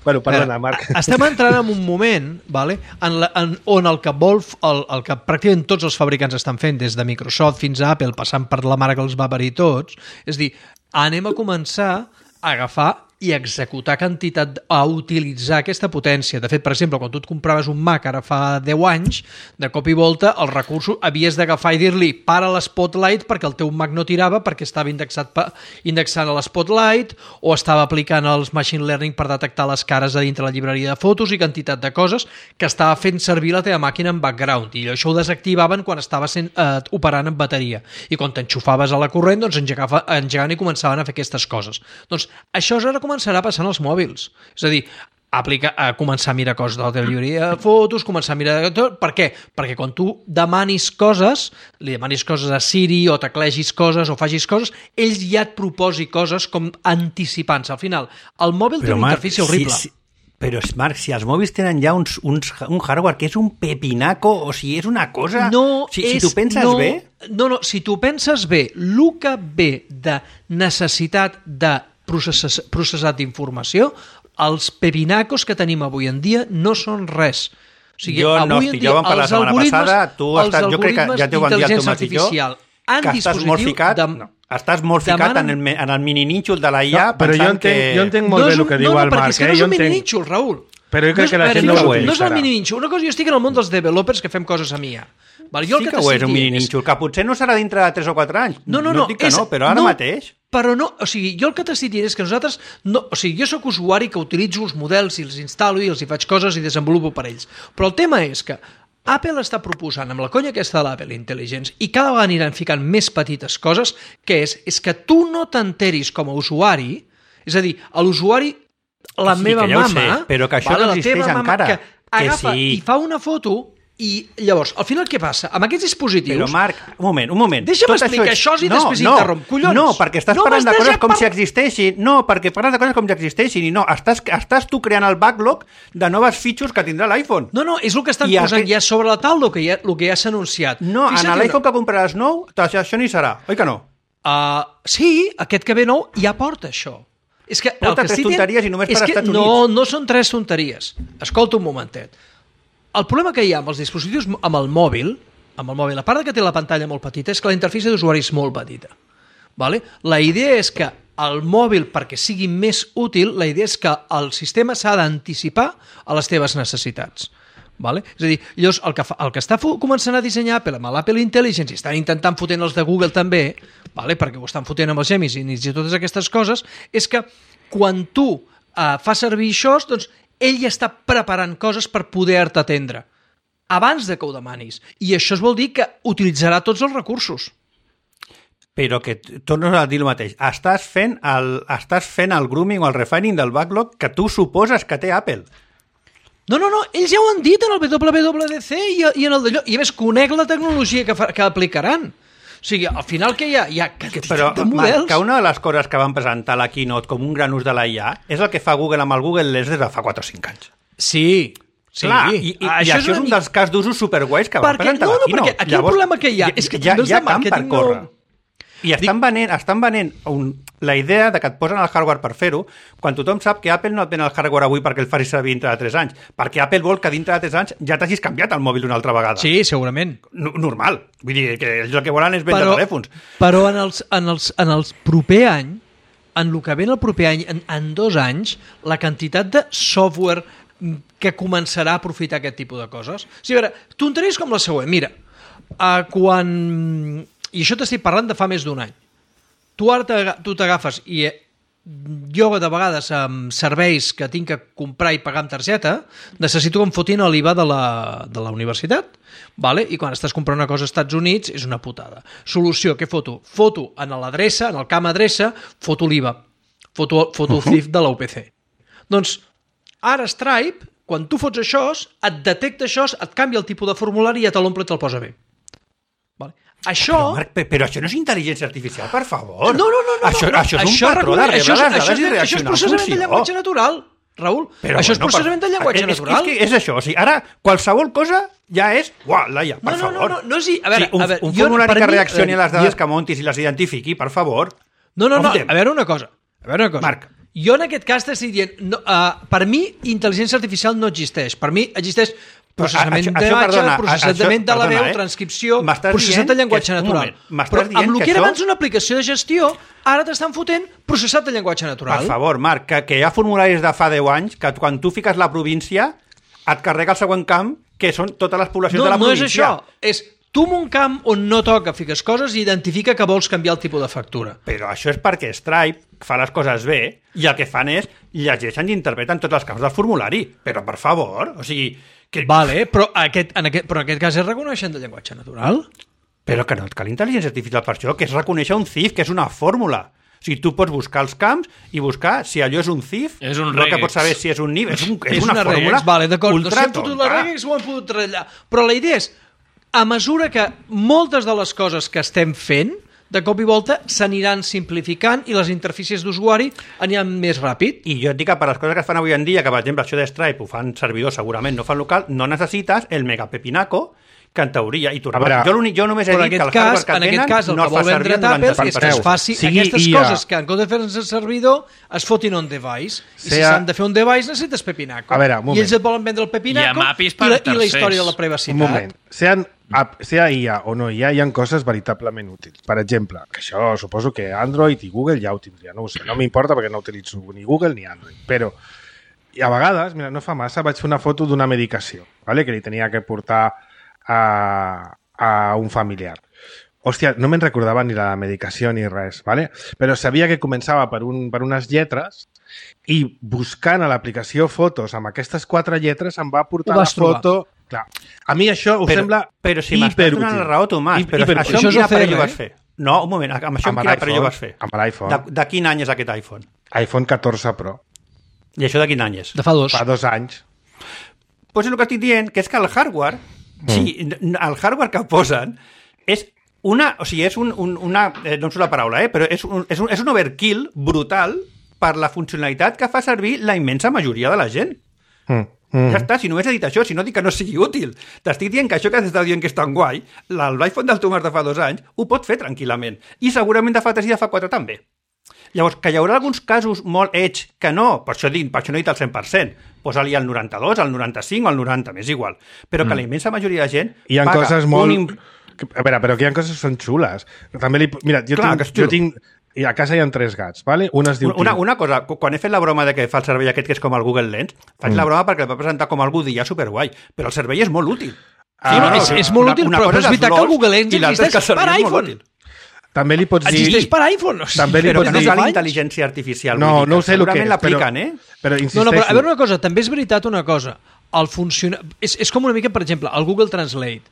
Bueno, perdona, Marc. Estem entrant en un moment vale, en la, en, on el que vol, el, el que pràcticament tots els fabricants estan fent, des de Microsoft fins a Apple, passant per la mare que els va parir tots, és dir, anem a començar a agafar i executar quantitat, a utilitzar aquesta potència. De fet, per exemple, quan tu et compraves un Mac ara fa deu anys, de cop i volta els recursos havies d'agafar i dir-li para l'Spotlight perquè el teu Mac no tirava perquè estava indexat pa, indexant a l'Spotlight o estava aplicant els machine learning per detectar les cares a dintre la llibreria de fotos i quantitat de coses que estava fent servir la teva màquina en background i això ho desactivaven quan estava sent, eh, operant en bateria i quan t'enxufaves a la corrent doncs engegava, engegaven i començaven a fer aquestes coses. Doncs això és ara començarà passant als mòbils. És a dir, aplica, a començar a mirar coses de la teva llibreria de fotos, començar a mirar... Tot. Per què? Perquè quan tu demanis coses, li demanis coses a Siri o teclegis coses o facis coses, ells ja et proposi coses com anticipant-se. Al final, el mòbil té una interfície horrible. Si, si, però, Marc, si els mòbils tenen ja uns, uns, un hardware que és un pepinaco, o sigui, és una cosa... No si, és, si tu penses no, bé... No, no, si tu penses bé, el que ve de necessitat de processar, processat d'informació, els pepinacos que tenim avui en dia no són res. O sigui, jo no avui en estic, dia, jo vam parlar la els setmana algoritmes- passada, tu els estàs, jo crec que ja t'ho van dir el d'intel·ligència Tomàs i jo, artificial en que estàs molt dispositiu ficat, de- no, estàs molt ficat demanen- en el, me- en el mini-nínxol de la I A, No, però jo pensant entenc, que... jo entenc molt no bé és el un- que no, diu no, el perquè Marc. és que Eh? no és Jo un entenc... mini-nínxol, Raül. Però jo crec no és, que la a veure, gent no, no ho és, no és el utilitzarà. mini-nínxol. Una cosa, jo estic en el món dels developers que fem coses amb I A. Vale, jo el Sí que t'estic ho és, un dient mini-nínxol, que potser no serà dintre de tres o quatre anys. No, no, no no. et dic que és, no, però ara no, mateix... Però no, o sigui, jo el que t'estic dient és que nosaltres, no, o sigui, jo sóc usuari que utilitzo els models i els instal·lo i els hi faig coses i desenvolupo per ells. Però el tema és que Apple està proposant amb la conya aquesta de l'Apple Intelligence i cada vegada aniran ficant més petites coses, que és, és que tu no t'enteris com a usuari, és a dir, a l'usuari, la Sí, meva que ja ho mama... sé, però que això vale, no la existeix teva mama, encara. Que Que agafa sí. i fa una foto i llavors, al final què passa? Amb aquests dispositius... Però, Marc, un moment, un moment. Deixa'm Tot explicar això i no, després no, interromp. Collons! No, perquè estàs No parlant de m'estàs coses ja com par- si existeixin. No, perquè parles de coses com si existeixin. I no, estàs, estàs tu creant el backlog de noves features que tindrà l'iPhone. No, no, és el que estan I posant aquest- ja sobre la taula, el que ja, el que ja s'ha anunciat. No, Fixa't en una- l'iPhone que compraràs nou, això no hi serà. Oi que no? Uh, sí, aquest que ve nou ja porta això. És que Porta el que tres estic dient tonteries i només és per que Estats no, Units. no són tres tonteries. Escolta un momentet. El problema que hi ha amb els dispositius amb el mòbil, amb el mòbil, a part de que té la pantalla molt petita, és que la interfície d'usuari és molt petita. Vale? La idea és que el mòbil, perquè sigui més útil, la idea és que el sistema s'ha d'anticipar a les teves necessitats. Vale? És a dir, llavors, el que, fa, el que està començant a dissenyar Apple amb l'Apple Intelligence i estan intentant fotent els de Google també, vale? Perquè ho estan fotent amb els Gemini i totes aquestes coses, és que quan tu eh, fas servir això, doncs ell ja està preparant coses per poder-te atendre abans de que ho demanis. I això es vol dir que utilitzarà tots els recursos. Però que tornes a dir el mateix. Estàs fent el, estàs fent el grooming o el refining del backlog que tu suposes que té Apple. No, no, no, ells ja ho han dit en el W W D C i, i en el d'allò. I a més, conec la tecnologia que, fa, que aplicaran. O sigui, al final que hi ha, hi ha quantitat Però, de models... Marc, que una de les coses que van presentar a la keynote com un gran ús de la I A és el que fa Google amb el Google Lens des de fa quatre o cinc anys. Sí, sí. Clar, i, i, això, i això és un dels cas d'usos superguais que van presentar no, a la no, keynote. Perquè aquí el problema que hi ha és que hi ha, també els hi ha de camp per màrqueting córrer. no... I estan venent, estan venent un, la idea de que et posen el hardware per fer-ho, quan tothom sap que Apple no et ven el hardware avui perquè el facis servir dintre de tres anys, perquè Apple vol que dintre de tres anys ja t'hagis canviat el mòbil una altra vegada. Sí, segurament. No, normal. Vull dir que ells el que volen és vendre però, telèfons. Però en els, en, els, en els proper any, en el que ve el proper any, en, en dos anys, la quantitat de software que començarà a aprofitar aquest tipus de coses... O sigui, a veure, tonteries com la següent. Mira, uh, quan... I això t'estic parlant de fa més d'un any. Tu ara tu t'agafes i jo de vegades amb serveis que tinc que comprar i pagar amb targeta necessito que em fotin l'I V A de la, de la universitat, vale? I quan estàs comprant una cosa als Estats Units és una putada. Solució, què foto? Foto en l'adreça, en el camp adreça, foto l'I V A, foto, foto el C I F de la U P C. Doncs ara Stripe, quan tu fots això, et detecta això, et canvia el tipus de formulari i ja te l'omple i te'l posa bé. Vale? Això... Però, Marc, però això no és intel·ligència artificial, per favor. No, no, no. no això, no, això és un això patró de rebre això, les dades això, i reaccionar això és processament de llenguatge natural, Raül. Però això bueno, és processament per... de llenguatge és, natural. És, és, és això, o sigui, ara qualsevol cosa ja és... Uah, Laia, per no, no, favor. No, no, no, és... A veure, sí, un, a veure, un jo, formulari que mi, reaccioni a les dades jo... que montis i les identifiqui, per favor. No, no, no, a veure una cosa. A veure una cosa. Marc. Jo en aquest cas t'estic dient... No, uh, per mi, intel·ligència artificial no existeix. Per mi existeix processament d'imatge, processament de la veu, eh? transcripció, processat de llenguatge natural. Però amb el que, que era això... abans una aplicació de gestió, ara t'estan fotent processat de llenguatge natural. Per favor, Marc, que, que hi ha formularis de fa deu anys que quan tu fiques la província et carrega el següent camp, que són totes les poblacions no, de la no província. No és això, és... Tu en un camp on no toca fiques coses i identifica que vols canviar el tipus de factura. Però això és perquè Stripe fa les coses bé i el que fan és llegeixen i interpreten tots els camps del formulari. Però, per favor, o sigui... Que... Vale, però, aquest, en aquest, però en aquest cas és reconeixent de llenguatge natural? Però que no et cal intel·ligència artificial per això, que és reconèixer un C I F, que és una fórmula. O sigui, tu pots buscar els camps i buscar si allò és un C I F, és un no que pots saber si és un N I F, és, un, és, és una, una fórmula regex, vale, ultra no, si hem fotut la regex ho hem fotut ratllar. Però la idea és, a mesura que moltes de les coses que estem fent, de cop i volta s'aniran simplificant i les interfícies d'usuari aniran més ràpid. I jo et dic que per les coses que es fan avui en dia, que per exemple això de Stripe ho fan servidor segurament, no fan local, no necessites el megapepinaco que en teoria, i tu, veure, jo, jo només he dit que el cas, hardware que en tenen aquest cas, el no que vol vendre Apple és que es faci sigui aquestes I A. coses que en comptes de fer-se el servidor es fotin on device. I si Sea... s'han de fer un device necessites pepinaco. A veure, un moment. I ells et volen vendre el pepinaco i, i, la, i la història de la privacitat. Un moment. Sean, sea I A o no I A, hi ha coses veritablement útils. Per exemple, que això suposo que Android i Google ja ho tindria, no ho sé, no m'importa perquè no utilitzo ni Google ni Android, però i a vegades, mira, no fa massa, vaig fer una foto d'una medicació, ¿vale? Que li tenia que portar a, a un familiar. Hòstia, no me'n recordava ni la medicació ni res, ¿vale? Però sabia que començava per, un, per unes lletres i buscant a l'aplicació fotos amb aquestes quatre lletres em va portar la foto... Clar. A mi això ho però, sembla però si m'estàs donant la raó, Tomàs, però hiper, això, això amb quin aparell eh? ho vas fer? No, un moment, amb això amb, amb quin aparell ho vas fer? Amb l'iPhone. De, de quin any és aquest iPhone? iPhone catorze Pro. I això de quin any és? De fa dos. Fa dos anys. Doncs pues és el que estic dient, que és que el hardware, mm. sí, el hardware que posen és una, o sigui, és un, un, una, eh, no em surt la paraula, eh, però és un, és, un, és un overkill brutal per la funcionalitat que fa servir la immensa majoria de la gent. Mm. Mm. Ja està, si només he dit això, si no dic que no sigui útil. T'estic dient que això que t'està dient que és tan guai, l'iPhone del Tomàs de fa dos anys ho pot fer tranquil·lament. I segurament de fa tres i de fa quatre també. Llavors, que hi haurà alguns casos molt edge que no, per això, dic, per això no he dit el cent per cent. Posa-li el noranta-dos, el noranta-cinc o el noranta, m'és igual. Però que mm. la immensa majoria de gent hi ha paga coses molt... un... A veure, però que hi ha coses que són xules. També li... Mira, jo Clar, tinc... Jo tinc... I a casa hi ha tres gats, ¿vale? Un es diu... Una, una cosa, quan he fet la broma de que fa el servei aquest que és com el Google Lens, faig mm. la broma perquè el va presentar com algú dia superguai, però el servei és molt útil. Sí, ah, no, no, és, és molt útil, una, una però és veritat que el Google Lens existeix per iPhone. També li pots dir... Existeix per iPhone. O sigui, també li però pots que no dir... és la intel·ligència artificial. No, dir, no ho sé el que és, l'apliquen, però, eh? però insisteixo. No, no, però a veure una cosa, també és veritat una cosa. El funciona... és, és com una mica, per exemple, el Google Translate.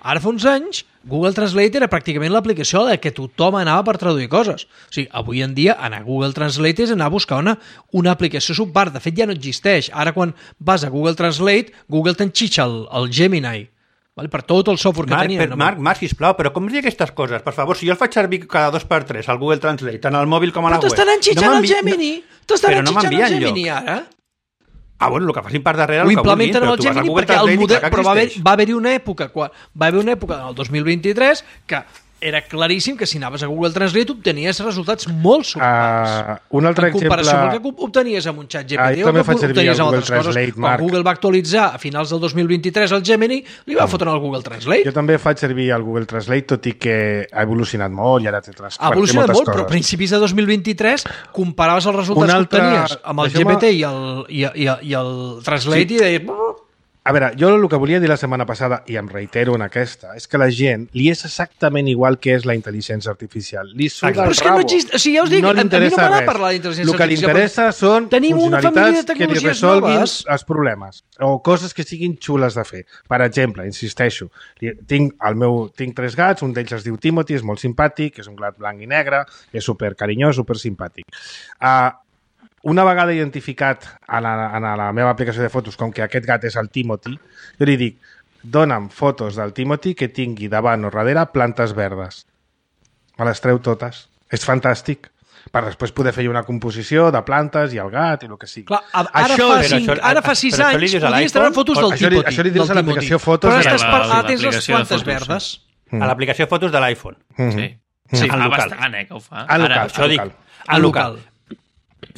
Ara fa uns anys, Google Translate era pràcticament l'aplicació a la que tothom anava per traduir coses. O sigui, avui en dia anar a Google Translate és anar a buscar una, una aplicació subpart. De fet, ja no existeix. Ara, quan vas a Google Translate, Google t'enxitxa el, el Gemini. Vale? Per tot el software que Marc, tenia. Per, Marc, Marc, sisplau, però com dir aquestes coses? Per favor, si jo el faig servir cada dos per tres al Google Translate, tant al mòbil com a la web... Però t'estan enxitxant no el Gemini! No, t'estan però no enxitxant el m'envien Gemini, ara? Ah, bueno, el que facin per darrere, Ho el que vulguin, implementen però amb el tu vas a Gemini Google perquè el Translate model... i clar que Però va haver, existeix. va haver una època, quan, va haver una època, el dos mil vint-i-tres, que era claríssim que si anaves a Google Translate obtenies resultats molt subpars. Uh, un altre en comparació exemple... amb el que obtenies amb un xat G P T Ah, o també que faig servir obtenies el amb Google altres coses. Translate, Quan Marc. Google va actualitzar a finals del dos mil vint-i-tres el Gemini, li va fotre el Google Translate. Jo també faig servir el Google Translate, tot i que ha evolucionat molt i ara té trans... Ha evolucionat moltes molt, però a coses. principis de dos mil vint-i-tres comparaves els resultats Un altre- que obtenies amb el G P T i el, i, i, i el Translate Sí. i deies... A veure, jo el que volia dir la setmana passada, i em reitero en aquesta, és que la gent li és exactament igual que és la intel·ligència artificial. Li suda Però el és que no rabo. exist... O sigui, ja us dic, no a, li a mi no interessa m'agrada res. parlar d'intel·ligència El que li artificial. interessa són Tenim una família de funcionalitats que li tecnologies resolguin noves. els problemes o coses que siguin xules de fer. Per exemple, insisteixo, li- tinc, el meu, tinc tres gats, un d'ells es diu Timothy, és molt simpàtic, és un gat blanc i negre, és super carinyós, super simpàtic. Uh, una vegada identificat a la, a la meva aplicació de fotos com que aquest gat és el Timothy, jo li dic, dona'm fotos del Timothy que tingui davant o darrere plantes verdes. Me les treu totes. És fantàstic. Per després poder fer una composició de plantes i el gat i el que sigui. Clar, a- ara, Això fa és- cinc, això- ara fa sis però això li anys dius a podies treure l'iPhone? fotos del Això li- Timothy. això li dius del a l'aplicació Timothy. Fotos Però de ara, estàs la- per, la- ara tens les l'aplicació de plantes fotos, verdes. A l'aplicació fotos de l'iPhone. Sí. Sí, sí fa al local. bastant, eh, que ho fa. Al local, Ara, al Això dic, local. al local.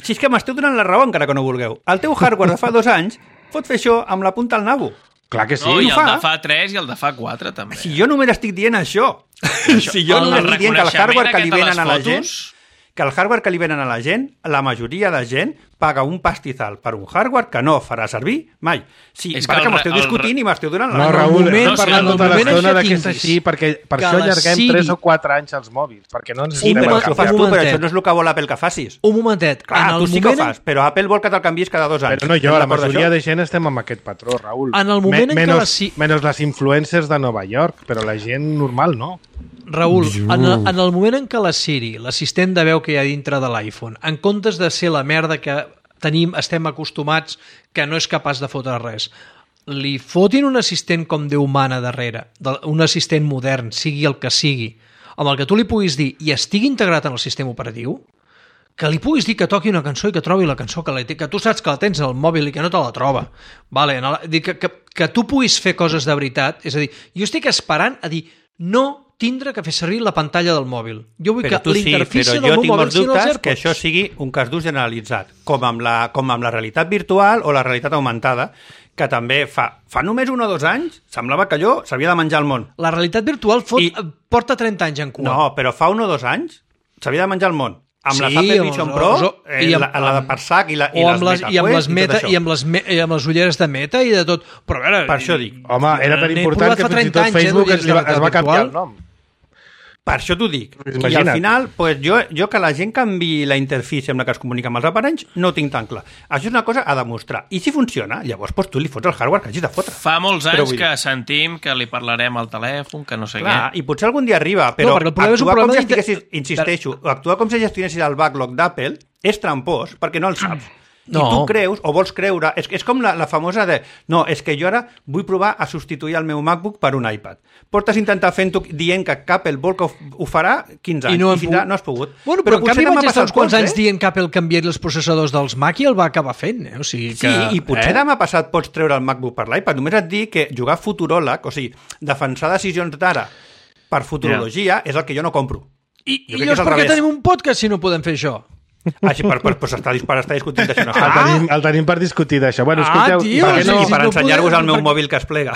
Si és que m'esteu donant la raó encara que no vulgueu. El teu hardware de fa dos anys pot fer això amb la punta al nabo. Clar que sí. No, i ho el fa. de fa tres i el de fa quatre, també. Si jo només estic dient això. Si jo El només estic dient que el hardware que li reconeixement aquest de venen les a la gent, fotos- que el hardware que li venen a la gent, la majoria de gent paga un pastizal per un hardware que no farà servir mai. Sí, És perquè que el m'esteu re- el discutint re- i m'esteu donant la No, raó. Raül, moment- hem no, parlat si en el tota moment l'estona en de què que és tinguis així, perquè per que això la allarguem Siri- tres o quatre anys als mòbils, perquè no ens Sí, anem però a això ho canviar. fas tu, però momentet. això no és el que vol Apple que facis. Un momentet. Clar, en tu el sí que ho moment en- fas, però Apple vol que te'l canviïs cada dos anys. Però no jo, Estem la d'acord majoria d'això? de gent estem amb aquest patró, Raül. En el moment en què menos, la si- Menys les influencers de Nova York, però la gent normal no. Raül, en el, en el moment en què la Siri, l'assistent de veu que hi ha dintre de l'iPhone, en comptes de ser la merda que tenim, estem acostumats, que no és capaç de fotre res, li fotin un assistent com Déu mana darrere, de- un assistent modern, sigui el que sigui, amb el que tu li puguis dir i estigui integrat en el sistema operatiu, que li puguis dir que toqui una cançó i que trobi la cançó que, la, que tu saps que la tens al mòbil i que no te la troba. Vale, en el, dir que, que, que tu puguis fer coses de veritat. És a dir, jo estic esperant a dir no tindre que fer servir la pantalla del mòbil. Jo vull Però que tu sí, l'interfície però del jo meu tinc mòbil molts siguin els dubtes que AirPods. això sigui un cas d'ús generalitzat, com amb, la, com amb la realitat virtual o la realitat augmentada, que també fa, fa només un o dos anys semblava que allò s'havia de menjar el món. La realitat virtual fot, I- porta trenta anys en cua. No, però fa un o dos anys s'havia de menjar el món. Amb Sí, les Apple amb Vision els- Pro, els- eh, i amb- la, la de amb- per sac i, la, i o les amb les, Meta i amb les Quest meta i tot i això. amb les, me, i amb les ulleres de meta i de tot. Però a veure, Per això dic. Home, era tan n'he important provat que fa fins i trenta tot anys, eh, Facebook es, d'ulleres de li va- es va realitat canviar el virtual. nom. Per això t'ho dic. Pues I imagina't. al final, pues, jo, jo que la gent canvi la interfície amb la que es comunica amb els aparells no ho tinc tan clar. Això és una cosa a demostrar. I si funciona, llavors pues, tu li fots el hardware que hagis de fotre. Fa molts Però anys vull que dir- sentim que li parlarem al telèfon, que no sé Clar, què. i potser algun dia arriba, però perquè el problema és un actuar com problema si d'inter- estiguessis, insisteixo, actuar com si gestionessis el backlog d'Apple és trampós, perquè no el saps. No. I tu creus, o vols creure, és, és com la, la famosa de no, és que jo ara vull provar a substituir el meu MacBook per un iPad. Portes intentar fent-ho dient que Apple vol que ho, ho farà quinze anys, I no, i hem fins ara pogut. no has pogut. Bueno, però, però en potser canvi demà vaig estar passat uns quants pots, anys eh? dient que Apple canviaria els processadors dels Mac i el va acabar fent. Eh? O sigui que, Sí, i potser eh? demà passat pots treure el MacBook per l'iPad. Només et dic que jugar a futuròleg, o sigui, defensar decisions d'ara per futurologia, és el que jo no compro. I, Jo i crec que llavors és al per què revés. tenim un podcast si no podem fer això? Així, per, per, per, estar, per estar discutint d'això. No El, està. tenim, el tenim per discutir d'això. Bueno, Ah, escolteu, tio, per Per què no, no? I per no ensenyar-vos podem- el meu perquè- mòbil que es plega.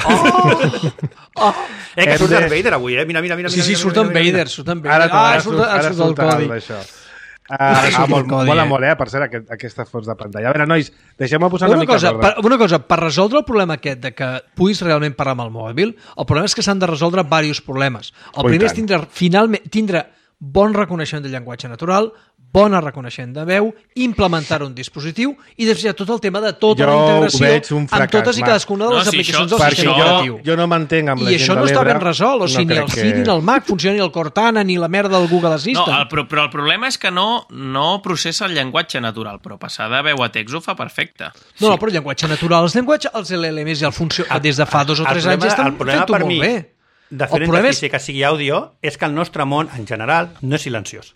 Oh! Eh, que Hem surt de- Darth Vader avui, eh? Mira, mira, mira. Sí, sí, mira, surt mira, en mira, mira. Vader, surt en Vader. Ara, ah, ara, surt, surt, ara ara surt el sortirà codi. d'això. Uh, ah, surt el molt, codi, mola eh? molt, eh, per cert, aquest, aquesta fons de pantalla. A veure, nois, deixem-me posar una, Una mica cosa, d'ordre. per, una cosa, per resoldre el problema aquest de que puguis realment parlar amb el mòbil, el problema és que s'han de resoldre diversos problemes. El Oh, i primer és tant. tindre, finalment, tindre bon reconeixement del llenguatge natural, bona reconeixement de veu, implementar un dispositiu i després hi ha tot el tema de tota jo la integració un fracàs, amb totes i cadascuna de les no, si aplicacions això, del si sistema això... operatiu. Jo, jo no m'entenc amb la I gent això no de està l'Ebre. ben resolt, o sigui, no ni el que... Siri, ni el Mac funciona, ni el Cortana, ni la merda del Google Assistant. No, el, però, però el problema és que no, no processa el llenguatge natural, però passar de veu a text ho fa perfecte. No, no, però el llenguatge natural, els llenguatges, els L L Ms i el funció, des de fa dos o El tres problema- anys estan el problema fent-ho per molt mi bé. de fer El una problema és- interfície que sigui àudio és que el nostre món, en general, no és silenciós.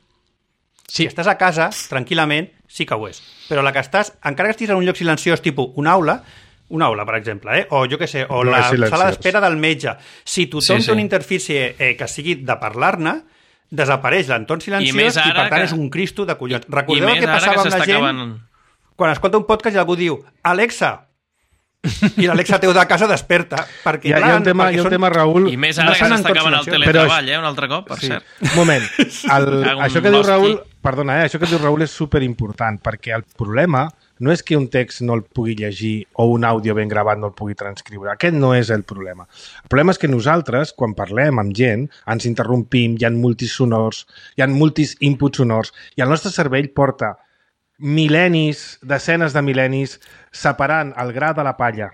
Sí. Si estàs a casa, tranquil·lament, sí que ho és. Però la que estàs, encara que estiguis en un lloc silenciós, tipus una aula, una aula, per exemple, eh? o jo què sé, o No la és silenciós. sala d'espera del metge, si tothom Sí, sí, sí. té una interfície eh, que sigui de parlar-ne, desapareix l'entorn silenciós més i, ara per tant que- és un cristo de collons. I Recordeu el més que ara passava que amb la s'està gent acabant... quan escolta un podcast i algú diu Alexa, i l'Alexa teu de casa desperta, perquè, Hi ha, hi ha un tema, hi ha un tema, Raül... I més no ara que són s'està entorns acabant el silenciosos. teletreball, eh, un altre cop, per Sí. cert. Un moment. El, Cago en això que diu l'hosti. Raül, perdona, eh, això que diu Raül és superimportant, perquè el problema no és que un text no el pugui llegir o un àudio ben gravat no el pugui transcriure. Aquest no és el problema. El problema és que nosaltres, quan parlem amb gent, ens interrompim, hi ha multis sonors, hi ha multis inputs sonors, i el nostre cervell porta mil·lennis, desenes de mil·lennis, separant el gra de la palla.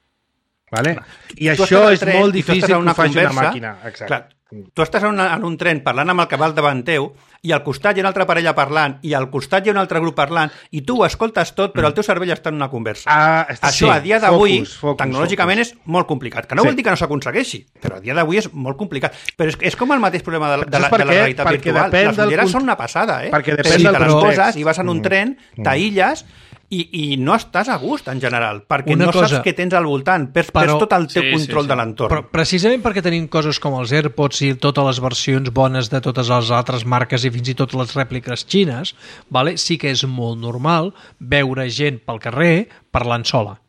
Vale? I Tu això estàs al és tren molt i tu estàs difícil en que una ho faci una conversa, màquina. Exacte. Clar, tu estàs en, una, en un tren parlant amb el cabal davant teu i al costat hi ha una altra parella parlant i al costat hi ha un altre grup parlant i tu ho escoltes tot però el teu cervell està en una conversa. Ah, està- Això sí, a dia d'avui, focus, focus, tecnològicament, focus. és molt complicat. Que no Sí. vol dir que no s'aconsegueixi, però a dia d'avui és molt complicat. Però és, és com el mateix problema de, la- de, la, Saps per de la què? realitat Perquè virtual. depèn Les del ulleres cont- són una passada, eh? Perquè Però depèn si del te les context. poses i vas en un tren, t'aïlles i, i no estàs a gust, en general, perquè Una no cosa- saps què tens al voltant, perds, Però- perds tot el teu Sí, sí, control sí. de l'entorn. Però precisament perquè tenim coses com els AirPods i totes les versions bones de totes les altres marques i fins i tot les rèpliques xines, vale? Sí que és molt normal veure gent pel carrer parlant sola.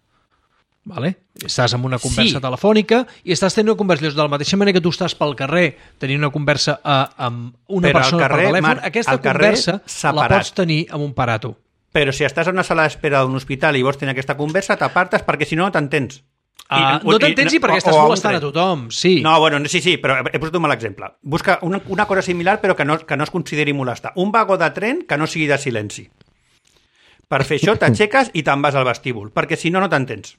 Vale? Estàs en una conversa Sí. telefònica i estàs tenint una conversa de la mateixa manera que tu estàs pel carrer tenint una conversa eh, amb una Però al persona carrer, per telèfon, Marc, aquesta al carrer, conversa la separat. pots tenir amb un parato. Però si estàs en una sala d'espera d'un hospital i vols tenir aquesta conversa, t'apartes perquè si no no t'entens. Uh, I- no t'entens i perquè o- estàs o a un molestant a tren. tothom, sí. No, bueno, sí, sí, però he posat un mal exemple. Busca una, una cosa similar però que no, que no es consideri molestar. Un vagó de tren que no sigui de silenci. Per fer això t'aixeques i te'n vas al vestíbul, perquè si no, no t'entens.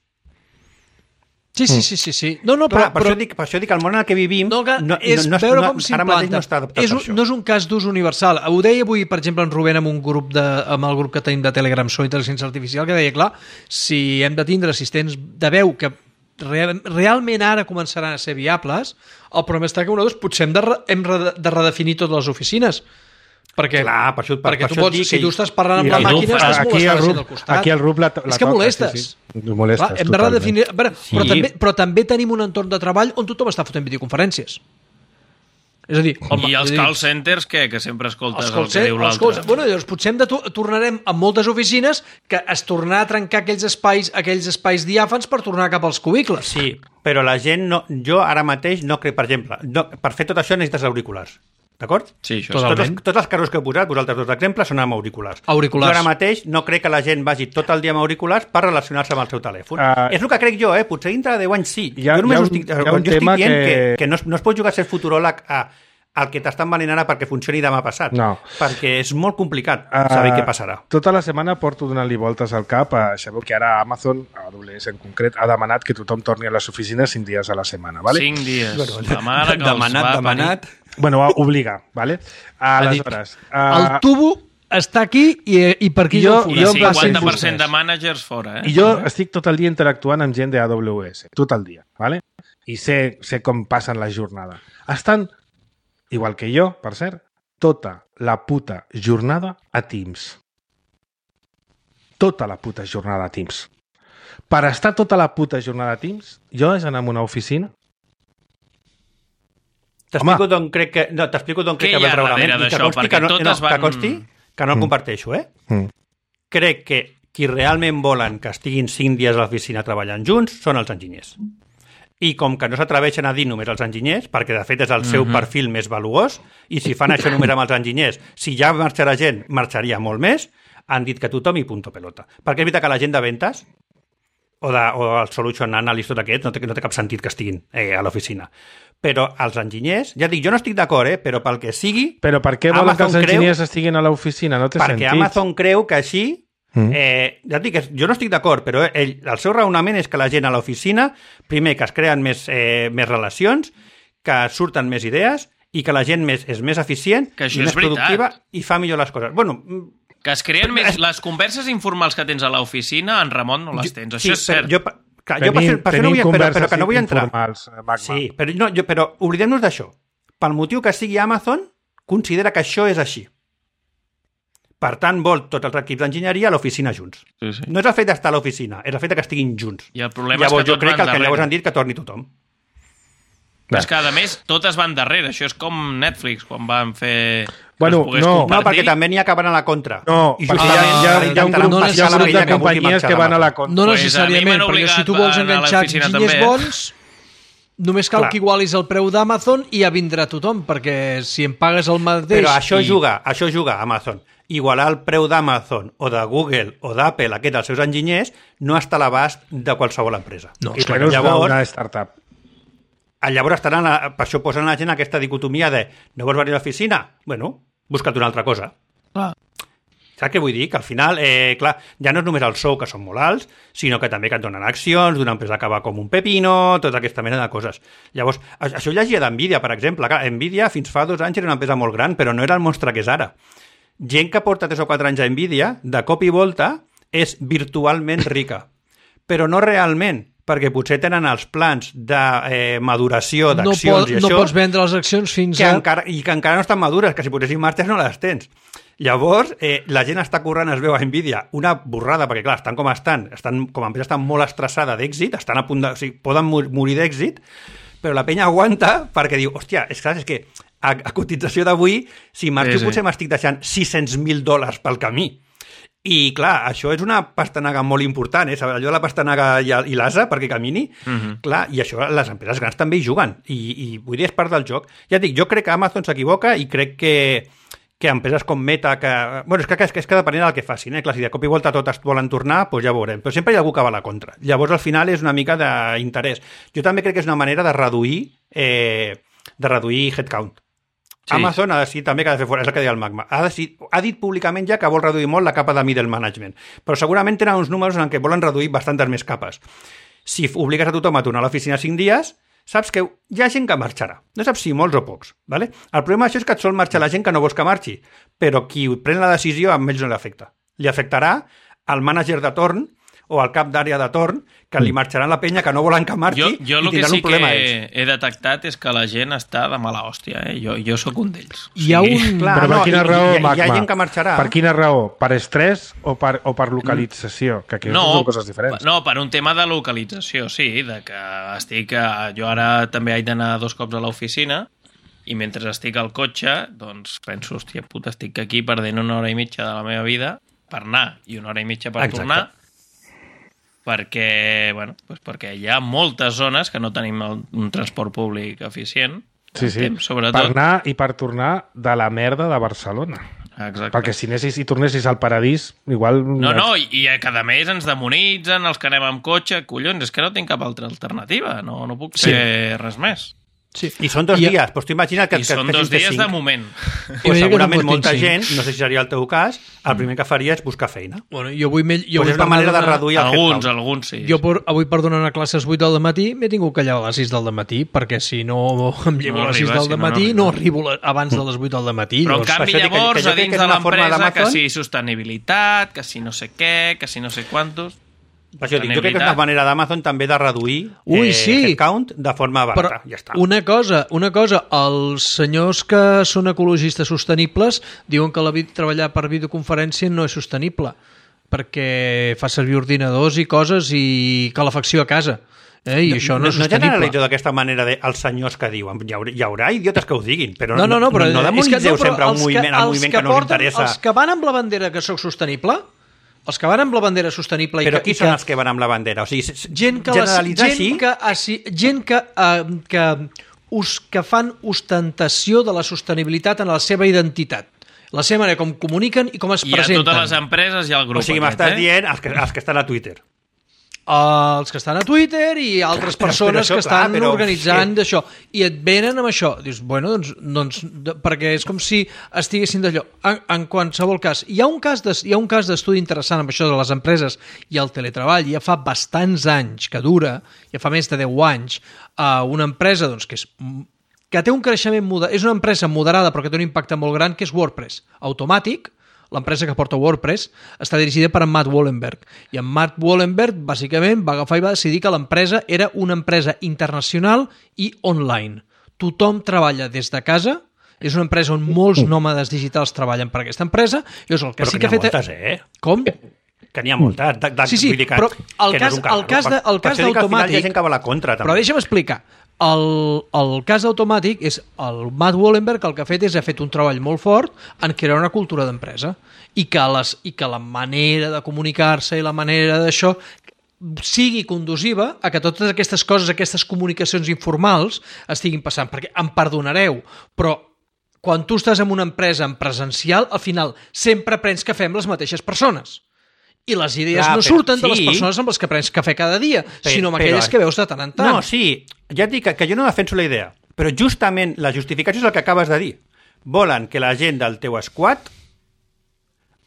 Sí, sí, sí, sí, sí. No, no, Clar, però, per, però, això dic, per això dic que el món en el que vivim no, que no, és no, no, veure no, com ara mateix s'implanta. no està adaptat És per un, això. no és un cas d'ús universal. Ho deia avui, per exemple, en Rubén amb un grup de, amb el grup que tenim de Telegram sobre intel·ligència artificial, que deia, clar, si hem de tindre assistents de veu que real, realment ara començaran a ser viables, el problema està que nosaltres potser hem de, re- hem re- de redefinir totes les oficines. Perquè, Clar, per això- per- perquè per tu això et pots, dic si que- tu estàs parlant amb I la el màquina, Rup- estàs aquí molestant el la gent Rup- del costat. aquí el Rup la- la És que toca, molestes. sí, sí. Ho molestes, Clar, hem de totalment. redefinir... A veure, Sí. però, també, però també tenim un entorn de treball on tothom està fotent videoconferències. És a dir... El, I els és a dir, call centers, què? Que sempre escoltes els el call que diu cen- els call l'altre. cen- Bueno, llavors potser hem de to tornarem a moltes oficines que es tornarà a trencar aquells espais, aquells espais diàfans per tornar cap als cubicles. Sí, però la gent no... Jo ara mateix no crec, per exemple, no, per fer tot això necessites auriculars. D'acord? Sí, això Totalment. Tots els, tots els casos que he posat, vosaltres dos exemples, són amb auriculars. Auriculars. Jo ara mateix no crec que la gent vagi tot el dia amb auriculars per relacionar-se amb el seu telèfon. Uh, és el que crec jo, eh? Potser dintre de deu anys sí. Hi ha- jo només hi ha ho un- estic, hi ha jo un estic tema dient que... que- que, no, es, no es pot jugar a ser futuròleg a el que t'estan venent ara perquè funcioni demà passat. No. Perquè és molt complicat Uh, saber què passarà. Tota la setmana porto donant-li voltes al cap. A, sabeu que ara Amazon, a A W S en concret, ha demanat que tothom torni a les oficines cinc dies a la setmana. Vale? Cinc dies. La mare que els demanat, va demanat... Bueno, obliga. Vale? Aleshores, El uh, tubo està aquí i, i per aquí Jo- jo, I jo el em va ser cinquanta per cent vostès. de managers fora, eh? I jo estic tot el dia interactuant amb gent de A W S, tot el dia, ¿vale? I sé, sé com passen la jornada. Estan, igual que jo, per cert, tota la puta jornada a Teams. Tota la puta jornada a Teams. Per estar tota la puta jornada a Teams, jo he d'anar a una oficina. T'explico d'on crec que... No, t'explico d'on crec Què que hi ve ha el raonament. darrere I que d'això? consti Perquè que no, totes no, que van- consti que no el Mm. comparteixo, eh? Mm. Crec que qui realment volen que estiguin cinc dies a l'oficina treballant junts són els enginyers. I com que no s'atreveixen a dir només els enginyers, perquè de fet és el seu Mhm. perfil més valuós, i si fan això només amb els enginyers, si ja marxarà gent, marxaria molt més, han dit que tothom i punto pelota. Perquè és veritat que la gent de ventes o, de, o el solution analyst, tot aquest, no té, no té cap sentit que estiguin eh, a l'oficina. Però els enginyers, ja dic, jo no estic d'acord, eh, però pel que sigui... Però per què volen Amazon que els enginyers creu, estiguin a l'oficina? No té perquè sentit. Perquè Amazon creu que així... Mm. Eh, ja et dic, jo no estic d'acord, però ell, el seu raonament és que la gent a l'oficina, primer, que es creen més, eh, més relacions, que surten més idees i que la gent més, és més eficient que i més productiva i fa millor les coses. Bueno, que es creen més... Les converses informals que tens a l'oficina, en remot no les tens. Això sí, és cert. Jo, clar, jo per, fer, per fer no vull, però, però que no vull entrar. Magma. Sí, però, no, jo, però oblidem-nos d'això. Pel motiu que sigui Amazon, considera que això és així. Per tant, vol tots els equips d'enginyeria a l'oficina junts. Sí, sí. No és el fet d'estar a l'oficina, és el fet que estiguin junts. I el problema llavors, és que jo crec que el que darrere. llavors han dit que torni tothom. És que, a més, totes van darrere. Això és com Netflix, quan van fer... Bueno, no, no, perquè també n'hi ha que van a la contra. No, I perquè hi ha, hi ha, hi ha un grup, no, hi ha un grup de companyies que van a la contra. No Pues necessàriament, a mi m'han perquè si tu obligat vols a anar a enganxar l'oficina enginyers també. bons, només cal Clar. que igualis el preu d'Amazon i ja vindrà tothom, perquè si em pagues el mateix... Però això i... juga, això juga Amazon. Igualar el preu d'Amazon o de Google o d'Apple, aquest dels seus enginyers, no està a l'abast de qualsevol empresa. No, I Però no és llavors, una startup. llavors estaran, a, per això posen a la gent aquesta dicotomia de no vols venir a l'oficina? Bueno, busca't una altra cosa. Clar. Saps què vull dir? Que al final, eh, clar, ja no és només el sou, que són molt alts, sinó que també que et donen accions d'una empresa que va com un pepino, tota aquesta mena de coses. Llavors, això ho llegia d'Nvidia, per exemple. Clar, Nvidia fins fa dos anys era una empresa molt gran, però no era el monstre que és ara. Gent que porta tres o quatre anys a Nvidia, de cop i volta, és virtualment rica. Però no realment, perquè potser tenen els plans de eh, maduració d'accions no pot, i això... No pots vendre les accions fins que a... encara, i que encara no estan madures, que si posessin marxes no les tens. Llavors, eh, la gent està corrent, es veu a Nvidia, una borrada, perquè clar, estan com estan, estan com a empresa estan molt estressada d'èxit, estan a punt de... O sigui, poden morir d'èxit, però la penya aguanta perquè diu, hòstia, és, clar, és que a, a cotització d'avui, si marxo sí, sí. potser m'estic deixant sis-cents mil dòlars pel camí. I, clar, això és una pastanaga molt important, eh? Allò de la pastanaga i, i l'asa perquè camini, uh -huh. clar, i això les empreses grans també hi juguen, i, i vull dir, és part del joc. Ja dic, jo crec que Amazon s'equivoca i crec que, que empreses com Meta, que... Bueno, és que, és que, és que depenent del que facin, eh? Clar, si de cop i volta totes volen tornar, doncs ja ho veurem. Però sempre hi ha algú que va a la contra. Llavors, al final, és una mica d'interès. Jo també crec que és una manera de reduir, eh, de reduir headcount. Sí. Amazon ha decidit també que ha de fer fora, és el que deia el Magma, ha, decidit, ha dit públicament ja que vol reduir molt la capa de middle management, però segurament tenen uns números en què volen reduir bastantes més capes. Si obligues a tothom a tornar a l'oficina cinc dies, saps que hi ha gent que marxarà. No saps si molts o pocs. ¿Vale? El problema d'això és que et sol marxar la gent que no vols que marxi, però qui pren la decisió a ells no li afecta. Li afectarà al mànager de torn o al cap d'àrea de torn, que li marxaran la penya que no volen que marxi jo, jo i tindran sí un problema que ells. he detectat és que la gent està de mala hòstia, eh? Jo, jo sóc un d'ells. Hi ha un... Clar, Però per no, quina i- raó, hi ha- hi ha Magma? gent que marxarà. Per quina raó? Per estrès o per, o per localització? Que aquí No, són coses diferents. no, per un tema de localització, sí, de que estic... A... Jo ara també haig d'anar dos cops a l'oficina i mentre estic al cotxe, doncs penso, hòstia puta, estic aquí perdent una hora i mitja de la meva vida per anar i una hora i mitja per Exacte. tornar, perquè, bueno, doncs perquè hi ha moltes zones que no tenim el, un transport públic eficient, Sí, sí. temps, sobretot. Per anar i per tornar de la merda de Barcelona. Exacte. Perquè si anessis i tornessis al paradís, igual... No, no, i, i cada mes ens demonitzen els que anem amb cotxe, collons, és que no tinc cap altra alternativa, no, no puc fer res més. Sí. I són dos I- dies, doncs tu imagina't que... I que són fessin dos fer dies cinc. de moment. Pues Jo diria que no segurament portin molta cinc. gent, no sé si seria el teu cas, el primer que faria és buscar feina. Bueno, jo avui, me, jo Pues avui és una per manera de anar a donar- reduir el Alguns, headcount. alguns sí. Jo per, avui per donar a classes vuit del matí m'he tingut que llevar a les sis del matí, perquè si no em llevo No a les sis arriba, del si no, no matí arriba. no arribo la- abans de les vuit del matí. Però en llavors- canvi Per això dic que- llavors que jo a crec dins que és de una forma l'empresa que d'Amazon. si sostenibilitat, que si no sé què, que si no sé quantos... Per això dic, jo crec que és una manera d'Amazon també de reduir Ui, eh, sí. headcount de forma Però barata. Ja està. una cosa, una cosa, els senyors que són ecologistes sostenibles diuen que la vid- treballar per videoconferència no és sostenible, perquè fa servir ordinadors i coses i calefacció a casa. Eh? I això no, és no sostenible. generalitzo d'aquesta manera de els senyors que diuen. Hi haurà, hi haurà idiotes que ho diguin, però No, no, no, però no, no és que demonitzeu però sempre un els moviment, el els moviment que, no us porten- interessa. Els que van amb la bandera que sóc sostenible, els que van amb la bandera sostenible... Però i que, qui i són que, els que van amb la bandera? O sigui, gent que, les, generalitzar gent així... que, asi- gent que, uh, que, us, que fan ostentació de la sostenibilitat en la seva identitat. La seva manera com comuniquen i com es I a presenten. totes les empreses hi ha el grup O sigui, aquest, m'estàs eh? dient els que, els que estan a Twitter. els que estan a Twitter i altres persones això, que estan clar, però, organitzant sí. d'això. I et venen amb això. Dius, bueno, doncs, doncs perquè és com si estiguessin d'allò. En, en qualsevol cas, hi ha un cas de, hi ha un cas d'estudi interessant amb això de les empreses i el teletreball. Ja fa bastants anys que dura, ja fa més de deu anys, uh, una empresa doncs, que és que té un creixement moderat, és una empresa moderada però que té un impacte molt gran, que és WordPress. Automàtic, l'empresa que porta WordPress, està dirigida per en Matt Wallenberg. I en Matt Wallenberg, bàsicament, va agafar i va decidir que l'empresa era una empresa internacional i online. Tothom treballa des de casa, és una empresa on molts nòmades digitals treballen per aquesta empresa, i és el que però sí que ha fet... Moltes, eh? Com? Que n'hi ha moltes. De, de, sí, sí, que, però el cas, no el cas, de, el cas d'Automàtic... Al final hi ha gent que va a la contra, també. Però deixa'm explicar. El, el cas d'Automàtic és el Matt Wallenberg el que ha fet és ha fet un treball molt fort en crear una cultura d'empresa i que, les, i que la manera de comunicar-se i la manera d'això sigui conduciva a que totes aquestes coses, aquestes comunicacions informals estiguin passant, perquè em perdonareu, però quan tu estàs en una empresa en presencial, al final sempre prens cafè amb les mateixes persones. I les idees Clar, no surten sí. de les persones amb les que prens cafè cada dia, però, sinó amb aquelles però, que veus de tant en tant. No, sí, ja et dic que, que jo no defenso la idea, però justament la justificació és el que acabes de dir. Volen que la gent del teu squad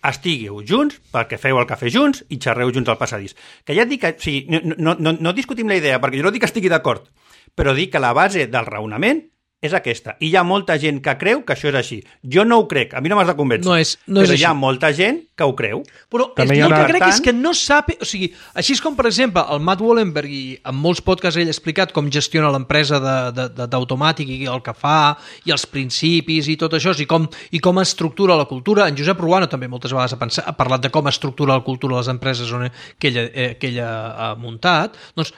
estigueu junts perquè feu el cafè junts i xerreu junts al passadís. Que ja et dic que, sí, no, no, no, no discutim la idea, perquè jo no dic que estigui d'acord, però dic que la base del raonament és aquesta. I hi ha molta gent que creu que això és així. Jo no ho crec, a mi no m'has de convèncer. No és, no però és hi ha molta gent que ho creu. Però el que una... crec és que no sap... O sigui, així és com, per exemple, el Matt Wallenberg, i en molts podcasts ell ha explicat com gestiona l'empresa d'Automàtic i el que fa, i els principis i tot això, i com, i com estructura la cultura. En Josep Ruano també moltes vegades ha, pensat, ha parlat de com estructura la cultura de les empreses on, que, ella, eh, que ella ha muntat. Doncs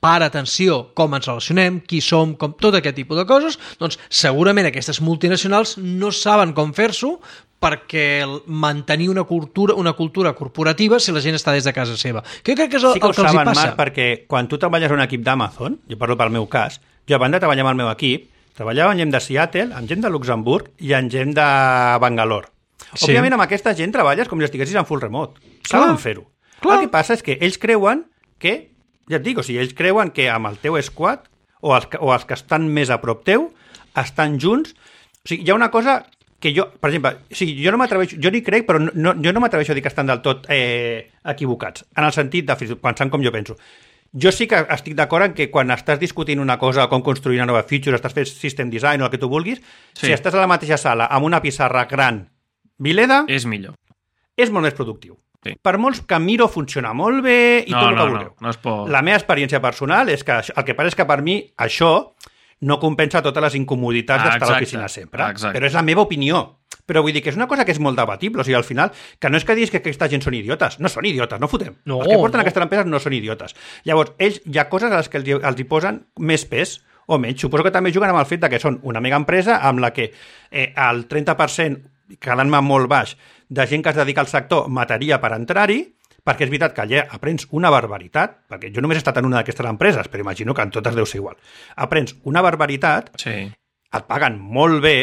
para atenció com ens relacionem, qui som, com tot aquest tipus de coses, doncs segurament aquestes multinacionals no saben com fer-s'ho perquè mantenir una cultura, una cultura corporativa si la gent està des de casa seva. Que jo crec que és el, sí que el que els saben, hi passa. Marc, perquè quan tu treballes en un equip d'Amazon, jo parlo pel meu cas, jo abans de treballar amb el meu equip, treballava amb gent de Seattle, amb gent de Luxemburg i amb gent de Bangalore. Sí. Òbviament amb aquesta gent treballes com si estiguessis en full remote. Saben fer-ho. El que passa és que ells creuen que ja et dic, o sigui, ells creuen que amb el teu squad o els, o els que estan més a prop teu estan junts. O sigui, hi ha una cosa que jo, per exemple, o sigui, jo no m'atreveixo, jo ni crec, però no, jo no m'atreveixo a dir que estan del tot eh, equivocats, en el sentit de pensant com jo penso. Jo sí que estic d'acord en que quan estàs discutint una cosa, com construir una nova feature, estàs fent system design o el que tu vulguis, sí. Si estàs a la mateixa sala amb una pissarra gran, vileda, és millor. És molt més productiu. Sí. Per molts que Miro funciona molt bé i no, tot el que no, vulgueu. No, no es pot... La meva experiència personal és que el que passa és que per mi això no compensa totes les incomoditats ah, d'estar a l'oficina sempre. Exacte. Però és la meva opinió. Però vull dir que és una cosa que és molt debatible. O sigui, al final, que no és que diguis que aquesta gent són idiotes. No són idiotes, no fotem. No, els que porten no. aquestes empreses no són idiotes. Llavors, ells, hi ha coses a les que els, els hi posen més pes o menys. Suposo que també juguen amb el fet de que són una mega empresa amb la que eh, el trenta per cent, quedant-me molt baix, de gent que es dedica al sector mataria per entrar-hi, perquè és veritat que allà aprens una barbaritat, perquè jo només he estat en una d'aquestes empreses, però imagino que en totes deu ser igual. Aprens una barbaritat, sí. Et paguen molt bé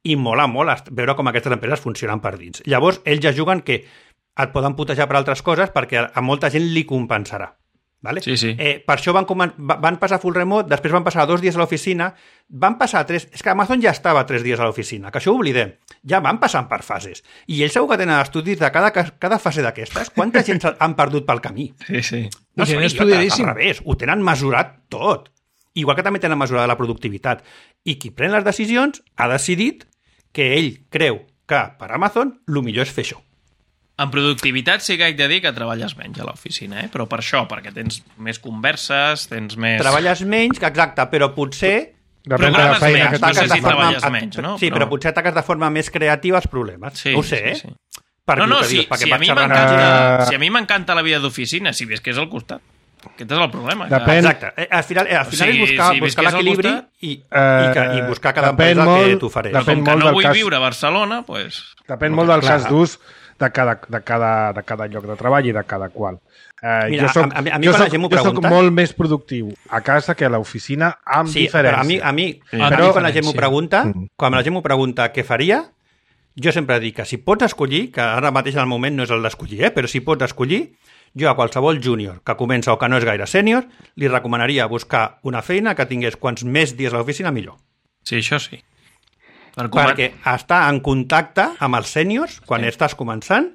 i mola molt veure com aquestes empreses funcionen per dins. Llavors, ells ja juguen que et poden putejar per altres coses perquè a molta gent li compensarà. Vale? Sí, sí. Eh, per això van, van passar full remote, després van passar dos dies a l'oficina, van passar tres... És que Amazon ja estava tres dies a l'oficina, que això ho oblidem. Ja van passant per fases. I ells segur que tenen estudis de cada, cada fase d'aquestes. Quanta gent han perdut pel camí? Sí, sí. No són idiotes, al revés. Ho tenen mesurat tot. Igual que també tenen mesurada la productivitat. I qui pren les decisions ha decidit que ell creu que per Amazon el millor és fer això. En productivitat sí que haig de dir que treballes menys a l'oficina, eh? Però per això, perquè tens més converses, tens més... Treballes menys, exacte, però potser... Depèn de la feina menys, que no sé si forma... treballes menys, no? Sí, però... però potser ataques de forma més creativa els problemes. Sí, no ho sé, sí, eh? sí. Per no, no, si, sí, si, a mi uh... si a mi m'encanta la vida d'oficina, si ves que és al costat. Aquest és el problema. Depèn... Exacte. Al final, al final o sigui, és buscar, si buscar l'equilibri i, uh, i, que, i buscar cada empresa molt, que t'ofereix. Però com que no vull cas... viure a Barcelona, doncs... Depèn molt del clar. cas d'ús de cada, de, cada, de cada lloc de treball i de cada qual. Uh, Mira, jo soc, a, a mi, jo soc, soc, jo soc molt més productiu a casa que a l'oficina amb sí, diferència. Però a mi, a mi, sí. a però, mi quan la gent m'ho pregunta, quan la gent m'ho pregunta què faria, jo sempre dic que si pots escollir, que ara mateix en el moment no és el d'escollir, eh, però si pots escollir, Jo a qualsevol júnior que comença o que no és gaire sènior, li recomanaria buscar una feina que tingués quants més dies a l'oficina millor. Sí, això sí. Per Perquè estar en contacte amb els sèniors, quan sí. estàs començant,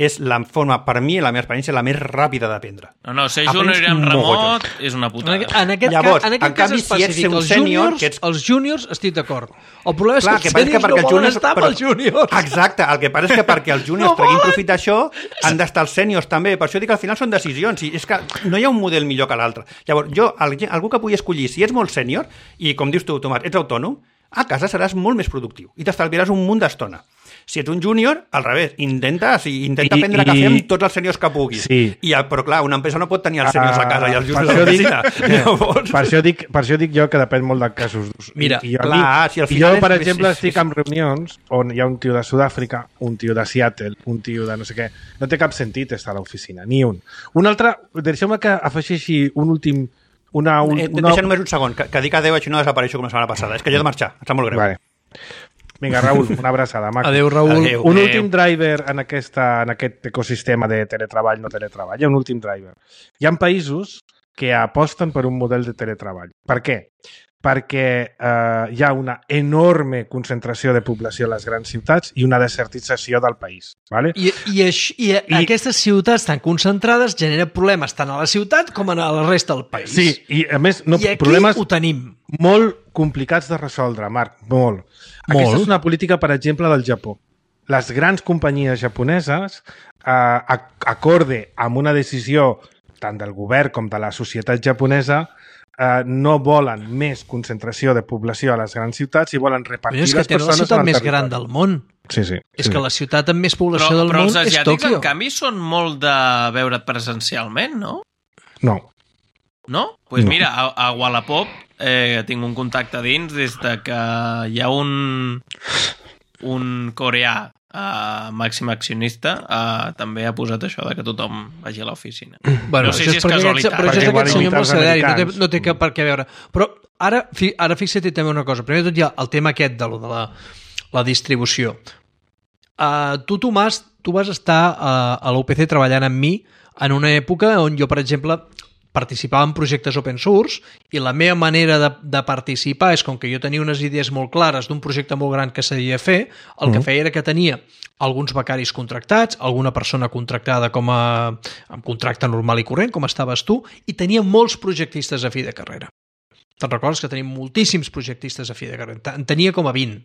és la forma, per mi, la meva experiència, la més ràpida d'aprendre. No, no, ser júnior i amb remot és una putada. En aquest, Llavors, cas, en aquest en canvi, cas específic, si ets un els, sènior, juniors, ets... els juniors estic d'acord. El problema és Clar, que els que sèniors que no volen juniors, estar però... amb els juniors. Exacte, el que passa és que perquè els juniors no treguin profit d'això, han d'estar els sèniors també. Per això dic que al final són decisions. I és que no hi ha un model millor que l'altre. Llavors, jo, algú que pugui escollir, si ets molt sènior, i com dius tu, Tomàs, ets autònom, a casa seràs molt més productiu i t'estalviaràs un munt d'estona. Si ets un júnior, al revés, intenta, sí, intenta I, prendre i... cafè amb tots els sèniors que puguis. Sí. I, però clar, una empresa no pot tenir els sèniors uh, a casa i els júniors a l'oficina. Llavors... Per, això dic, per això dic jo que depèn molt de casos. Mira, I, i jo, clar, dic, si al i final jo per és... exemple, estic en reunions on hi ha un tio de Sud-àfrica, un tio de Seattle, un tio de no sé què. No té cap sentit estar a l'oficina, ni un. Un altre, deixeu-me que afegeixi un últim... Una, un, eh, una... Deixa només un segon, que, que dic adéu i no desapareixo com la setmana passada. És que jo he de marxar, em sap molt greu. Vale. Vinga, Raül, una abraçada, maco. Adéu, Raül. Adéu. Un Adéu. últim driver en, aquesta, en aquest ecosistema de teletreball, no teletreball. Hi ha un últim driver. Hi ha països que aposten per un model de teletreball. Per què? Perquè eh, hi ha una enorme concentració de població a les grans ciutats i una desertització del país. Vale? I, i, això, i, I aquestes ciutats tan concentrades generen problemes tant a la ciutat com a la resta del país. Sí, i a més... No, I aquí problemes ho tenim. Molt complicats de resoldre, Marc, molt. molt. Aquesta és una política, per exemple, del Japó. Les grans companyies japoneses, eh, acorde amb una decisió tant del govern com de la societat japonesa, eh, no volen més concentració de població a les grans ciutats i volen repartir les persones... És que tenen la ciutat més gran del món. Sí, sí. És sí. que la ciutat amb més població però, del però món és Tòquio. Però els asiàtics, en canvi, són molt de veure't presencialment, no? No. No? Doncs pues no. mira, a, a Wallapop eh, tinc un contacte dins des de que hi ha un, un coreà eh, màxim accionista eh, també ha posat això de que tothom vagi a l'oficina. Bueno, no sé si és casualitat. Però això és aquest senyor mercedari, no té, no té per què veure. Però ara, ara fixa't també una cosa. Primer de tot hi ha el tema aquest de, de la, la distribució. Uh, tu, Tomàs, tu vas estar uh, a l'U P C treballant amb mi en una època on jo, per exemple, participava en projectes open source i la meva manera de, de participar és com que jo tenia unes idees molt clares d'un projecte molt gran que s'havia de fer, el mm. que feia era que tenia alguns becaris contractats, alguna persona contractada com a amb contracte normal i corrent, com estaves tu, i tenia molts projectistes a fi de carrera. Te'n recordes que tenim moltíssims projectistes a fi de carrera? En tenia com a vint.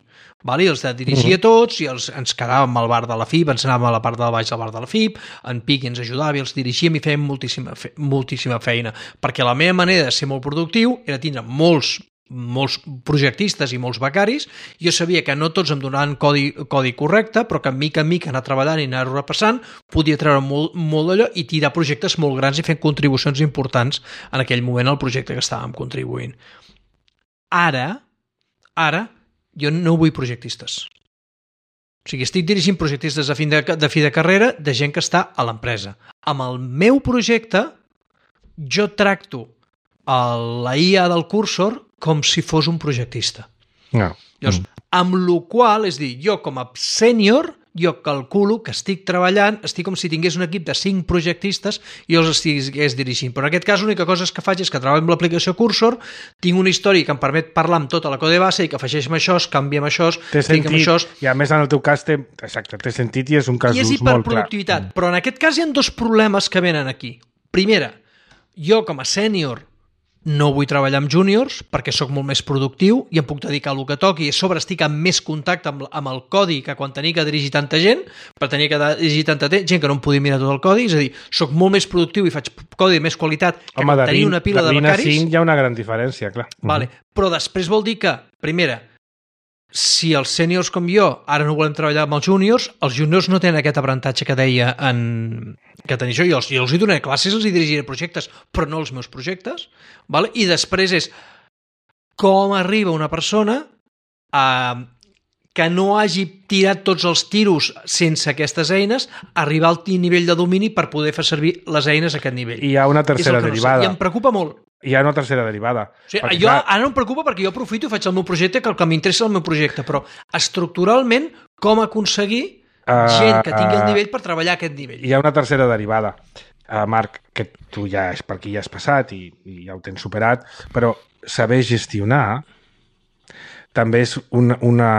Vale? I els dirigia tots i els, ens quedàvem al bar de la F I B, ens anàvem a la part de baix del bar de la F I B, en Piqui ens ajudava i els dirigíem i fèiem moltíssima, fe, moltíssima feina. Perquè la meva manera de ser molt productiu era tindre molts molts projectistes i molts becaris. Jo sabia que no tots em donaven codi, codi correcte, però que mica en mica anar treballant i anar repassant podia treure molt, molt d'allò i tirar projectes molt grans i fer contribucions importants en aquell moment al projecte que estàvem contribuint. Ara, ara, jo no vull projectistes. O sigui, estic dirigint projectistes de fi de, de fi de carrera de gent que està a l'empresa. Amb el meu projecte, jo tracto la I A del cursor com si fos un projectista. No. Llavors, amb la qual, és dir, jo com a sènior, jo calculo que estic treballant, estic com si tingués un equip de cinc projectistes i jo els estigués dirigint. Però en aquest cas l'única cosa que faig és que treballo amb l'aplicació Cursor, tinc una història que em permet parlar amb tota la code base i que afegeixem això, canviem això, tinc amb això... I a més en el teu cas té, exacte, té sentit i és un cas I és d'ús molt clar. hiperproductivitat. Però en aquest cas hi ha dos problemes que venen aquí. Primera, jo com a sènior no vull treballar amb júniors perquè sóc molt més productiu i em puc dedicar al que toqui i a sobre estic en més contacte amb, amb el codi que quan tenia que dirigir tanta gent, per tenir que dirigir tanta gent que no em podia mirar tot el codi, és a dir, sóc molt més productiu i faig codi de més qualitat que Home, quan tenia una pila de, de becaris. De vint a cinc hi ha una gran diferència, clar. Vale. Però després vol dir que, primera, si els sèniors com jo ara no volem treballar amb els júniors, els júniors no tenen aquest aprenentatge que deia en... que tenia jo. Jo els, jo els hi donaré classes, els hi dirigiré projectes, però no els meus projectes. Vale? I després és com arriba una persona a que no hagi tirat tots els tiros sense aquestes eines, arribar al nivell de domini per poder fer servir les eines a aquest nivell. I hi ha una tercera derivada. No sé. I em preocupa molt. Hi ha una tercera derivada. O sigui, perquè, jo, clar... Ara no em preocupa perquè jo aprofito i faig el meu projecte, que el que m'interessa és el meu projecte, però estructuralment com aconseguir uh, gent que tingui el nivell per treballar a aquest nivell. Hi ha una tercera derivada. uh, Marc, que tu ja és per aquí ja has passat i, i ja ho tens superat, però saber gestionar també és una, una,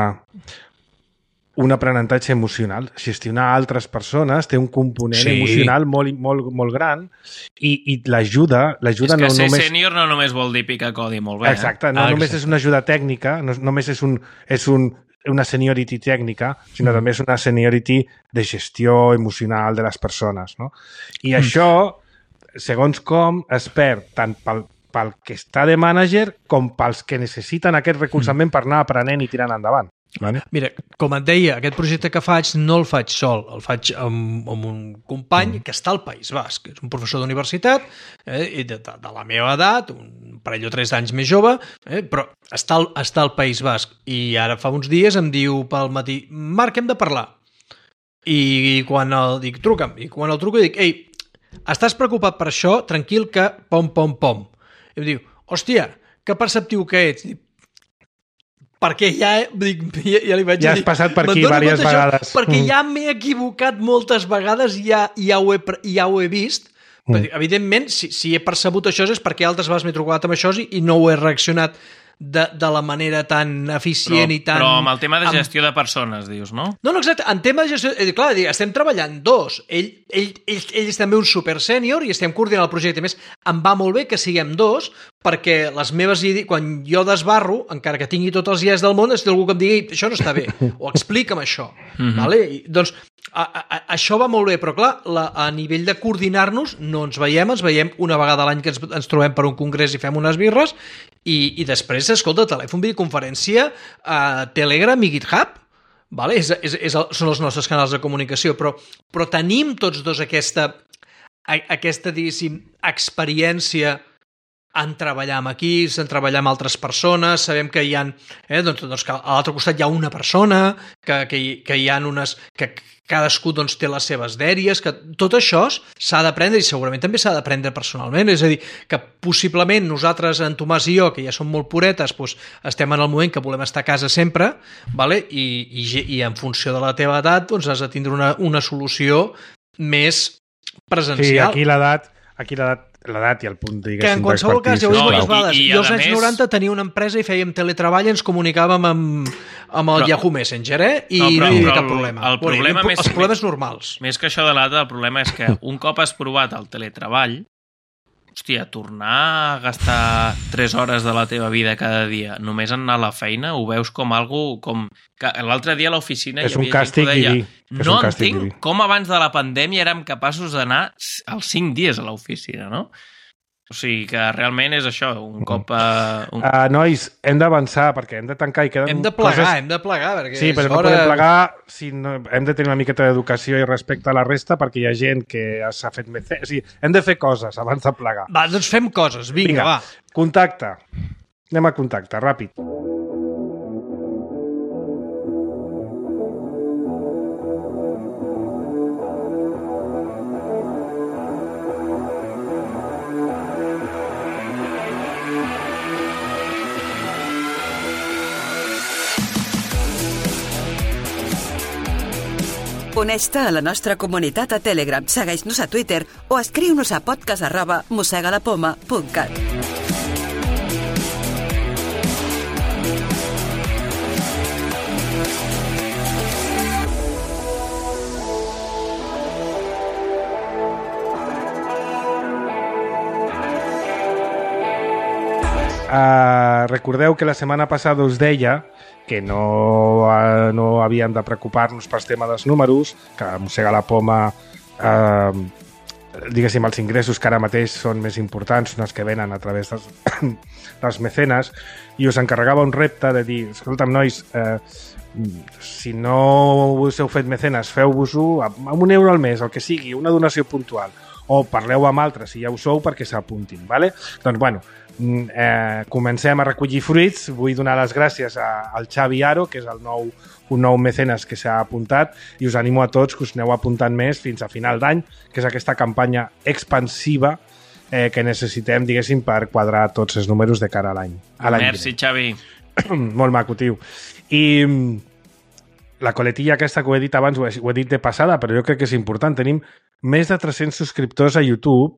un aprenentatge emocional. Gestionar altres persones té un component sí. emocional molt, molt, molt gran i, i l'ajuda... l'ajuda és que no ser només... sènior no només vol dir picar codi molt bé. Exacte, no ah, només exacte. és una ajuda tècnica, no només és, un, és un, una seniority tècnica, sinó mm. també és una seniority de gestió emocional de les persones. No? I mm. això, segons com, es perd tant pel, pel que està de mànager com pels que necessiten aquest recolzament mm. per anar aprenent i tirant endavant. Vale. Mira, com et deia, aquest projecte que faig no el faig sol, el faig amb, amb un company mm. que està al País Basc, que és un professor d'universitat, eh, i de, de, de la meva edat, un parell o tres anys més jove, eh, però està al, està al País Basc. I ara fa uns dies em diu pel matí, Marc, hem de parlar. I, i quan el dic, truca'm, i quan el truco dic, ei, estàs preocupat per això? Tranquil que pom, pom, pom. I em diu, hòstia, que perceptiu que ets? Dic, perquè ja, dic, ja, ja li vaig ja dir... has passat per aquí diverses vegades. Perquè ja m'he equivocat moltes vegades i ja, ja, ho, he, ja ho he vist. Mm. Però, evidentment, si, si he percebut això és perquè altres vegades m'he trobat amb això i, i no ho he reaccionat de, de la manera tan eficient però, i tan... Però amb el tema de gestió amb... de persones, dius, no? No, no, exacte. En tema de gestió... Eh, clar, estem treballant dos. Ell, ell, ell, ell és també un super sènior i estem coordinant el projecte. A més, em va molt bé que siguem dos perquè les meves idees, quan jo desbarro, encara que tingui tots els dies del món, és algú que em digui, això no està bé, o explica'm això. Mm-hmm. Vale? I, doncs, a, a, a, això va molt bé, però clar, la, a nivell de coordinar-nos, no ens veiem, ens veiem una vegada a l'any que ens, ens trobem per un congrés i fem unes birres, i, i després, escolta, telèfon, videoconferència, uh, Telegram i GitHub, vale? és, és, és el, són els nostres canals de comunicació, però, però tenim tots dos aquesta, a, aquesta diguéssim, experiència en treballar amb equips, en treballar amb altres persones, sabem que hi ha, eh, doncs, doncs que a l'altre costat hi ha una persona, que, que, hi, que hi ha unes... que cadascú doncs, té les seves dèries, que tot això s'ha d'aprendre i segurament també s'ha d'aprendre personalment, és a dir, que possiblement nosaltres, en Tomàs i jo, que ja som molt puretes, doncs, estem en el moment que volem estar a casa sempre, vale? I, i, i en funció de la teva edat doncs, has de tindre una, una solució més presencial. Sí, aquí l'edat, aquí l'edat l'edat i el punt, diguéssim, que en qualsevol cas, ja ho he dit moltes vegades, i, i, jo als anys més... noranta tenia una empresa i fèiem teletreball i ens comunicàvem amb, amb el però, Yahoo Messenger, eh? I no, però, no hi havia cap problema. El, el problema bueno, més, els problemes normals. Més que això de l'edat, el problema és que un cop has provat el teletreball, hòstia, tornar a gastar tres hores de la teva vida cada dia només en anar a la feina, ho veus com algo com... L'altre dia a l'oficina és hi havia gent que ho deia, és no entenc diví. Com abans de la pandèmia érem capaços d'anar els cinc dies a l'oficina, no? O sigui que realment és això, un cop... Uh, un... Uh, nois, hem d'avançar perquè hem de tancar i queden Hem de plegar, coses... hem de plegar. Perquè sí, però no hora... podem plegar, si no... hem de tenir una miqueta d'educació i respecte a la resta perquè hi ha gent que s'ha fet... Mece... O sigui, hem de fer coses abans de plegar. Va, doncs fem coses, vinga, vinga. va. Contacte. Anem a contacte, ràpid. Uneix-te a la nostra comunitat a Telegram, segueix-nos a Twitter o escriu-nos a podcast arroba mossegalapoma punt cat. Uh, recordeu que la setmana passada us deia que no, uh, no havíem de preocupar-nos pel tema dels números, que Mossega la Poma, uh, diguéssim, els ingressos que ara mateix són més importants, són els que venen a través dels, dels mecenes, i us encarregava un repte de dir, escolta'm, nois, uh, si no us heu fet mecenes, feu-vos-ho amb un euro al mes, el que sigui, una donació puntual, o parleu amb altres si ja ho sou perquè s'apuntin, ¿vale? Doncs, bueno, eh, comencem a recollir fruits. Vull donar les gràcies a, al Xavi Aro, que és el nou, un nou mecenes que s'ha apuntat, i us animo a tots que us aneu apuntant més fins a final d'any, que és aquesta campanya expansiva eh, que necessitem, diguéssim, per quadrar tots els números de cara a l'any. Merci, Xavi. Molt maco, tio. I la coletilla aquesta que ho he dit abans, ho he, ho he dit de passada, però jo crec que és important. Tenim més de tres-cents subscriptors a YouTube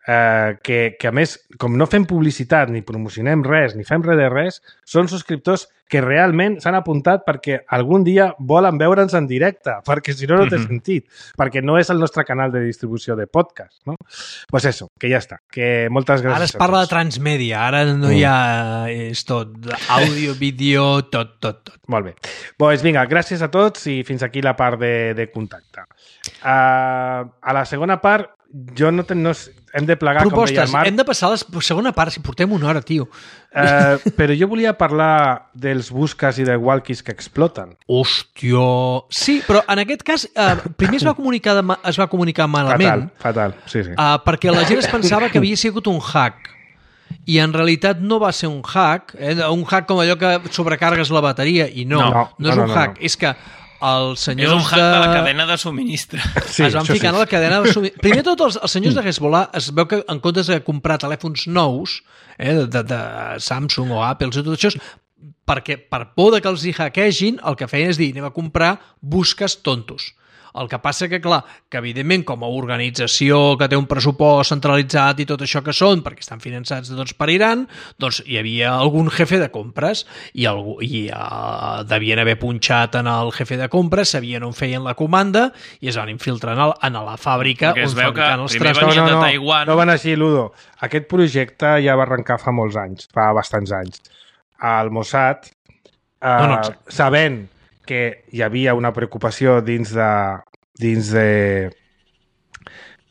eh, que, que, a més, com no fem publicitat, ni promocionem res, ni fem res de res, són subscriptors que realment s'han apuntat perquè algun dia volen veure'ns en directe, perquè si no, no té mm-hmm. sentit, perquè no és el nostre canal de distribució de podcast, no? Pues eso, que ja està, que moltes gràcies. Ara es parla de transmèdia, ara no mm. hi ha... és tot, àudio, vídeo, tot, tot, tot. Molt bé. Pues vinga, gràcies a tots i fins aquí la part de, de contacte. Uh, a la segona part, jo no, ten, no hem de plegar, propostes, com deia el Marc. Hem de passar a la segona part, si portem una hora, tio. Uh, però jo volia parlar dels busques i de walkies que exploten. Hòstia... Sí, però en aquest cas, uh, primer es va comunicar, de, es va comunicar malament. Fatal, fatal, sí, sí. Uh, perquè la gent es pensava que havia sigut un hack. I en realitat no va ser un hack, eh? Un hack com allò que sobrecargues la bateria, i no, no, no, no és no, un no, hack, no. És que els senyors és un hack de... de la cadena de subministre. Sí, es van ficar sí. a la cadena de subministre. Primer de tot, els, els senyors de Hezbollah es veu que en comptes de comprar telèfons nous, eh, de, de, de Samsung o Apple i tot això, perquè per por de que els hi hackegin, el que feien és dir, anem a comprar busques tontos. El que passa que, clar, que evidentment com a organització que té un pressupost centralitzat i tot això que són, perquè estan finançats doncs, per Iran, doncs hi havia algun jefe de compres i, algú, i uh, devien haver punxat en el jefe de compres, sabien on feien la comanda i es van infiltrar en, el, en la fàbrica perquè on fabricaven els trastos. No, no, no, de Taiwan. no van així, Ludo. Aquest projecte ja va arrencar fa molts anys, fa bastants anys. El Mossad, uh, no, no, sabent que hi havia una preocupació dins de dins de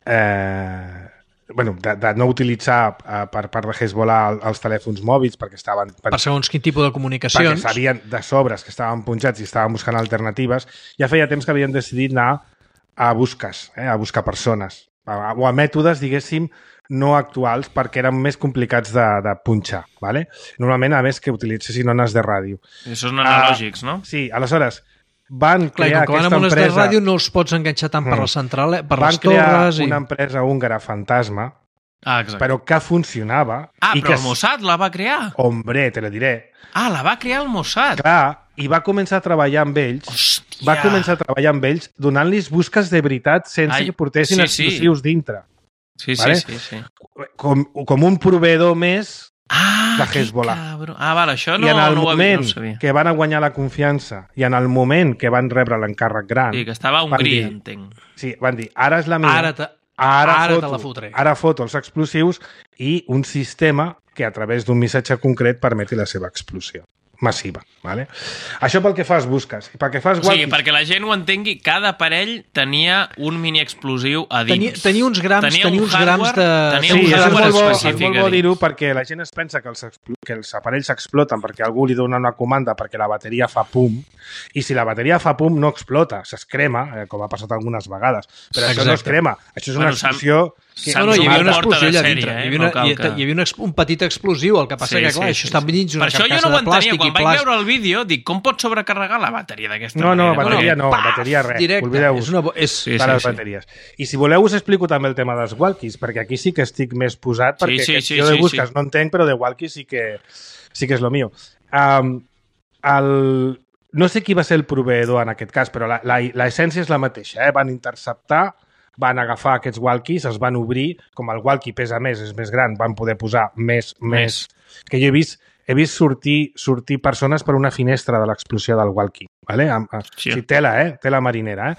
eh, bueno, de, de no utilitzar eh, per part de Hezbollah els telèfons mòbils perquè estaven... Per, per segons quin tipus de comunicacions. Perquè sabien de sobres que estaven punxats i estaven buscant alternatives. Ja feia temps que havien decidit anar a busques, eh, a buscar persones a, o a mètodes, diguéssim, no actuals perquè eren més complicats de, de punxar, ¿vale? Normalment, a més, que utilitzessin ones de ràdio. I això són analògics, uh, no? Sí, aleshores, van crear Clar, aquesta empresa... Clar, de ràdio no els pots enganxar tant per la central, per van les torres... Van crear i... una empresa húngara fantasma, ah, però que funcionava... Ah, i però que... el Mossad la va crear? Hombre, te lo diré. Ah, la va crear el Mossad. Clar, i va començar a treballar amb ells, Hòstia. va començar a treballar amb ells donant-los busques de veritat sense Ai, que portessin sí, explosius sí. dintre. Sí, ¿vale? sí, sí, sí. Com, com un proveedor més ah, de Hezbollah. Cabro. Ah, vale, això no, I en el no, moment ho no ho sabia. Que van a guanyar la confiança i en el moment que van rebre l'encàrrec gran... Sí, que estava a Hongria, entenc. Sí, van dir, ara és la meva... Ara, te, ara, ara foto, te la fotré. Ara foto els explosius i un sistema que a través d'un missatge concret permeti la seva explosió massiva. Vale? Això pel que fas busques. I pel que fas o sigui, perquè la gent ho entengui, cada aparell tenia un mini explosiu a dins. Tenia, tenia uns grams, tenia, tenia uns grams de... Tenia sí, un és molt bo, és específic. molt bo dir-ho perquè la gent es pensa que els, que els aparells s'exploten perquè algú li dona una comanda perquè la bateria fa pum, i si la bateria fa pum no explota, s'escrema, eh, com ha passat algunes vegades. Però Exacte. Això no es crema, això és una bueno, explosió... Que... No, no, hi havia una explosió allà dintre. Eh? Hi havia, una, no hi, que... hi havia una, un petit explosiu, el que passa sí, que, clar, sí, això sí, està dins d'una carcassa de plàstic. Per això jo no ho entenia. Quan vaig veure el vídeo, dic, com pot sobrecarregar la bateria d'aquesta no, manera? No, bateria no, Paf, bateria res. Oblideu-vos. És una... és... Sí, sí, les bateries. Sí. I si voleu us explico també el tema dels walkies, perquè aquí sí que estic més posat, perquè sí, sí, sí, jo de busques sí, sí. no entenc, però de walkies sí que, sí que és lo mío. Um, el... No sé qui va ser el proveïdor en aquest cas, però l'essència és la mateixa. Eh? Van interceptar, van agafar aquests walkies, els van obrir, com el walkie pesa més, és més gran, van poder posar més, més... més. Que jo he vist, he vist sortir, sortir persones per una finestra de l'explosió del walkie. Vale? Sí. Sí, tela, eh? Tela marinera. Eh?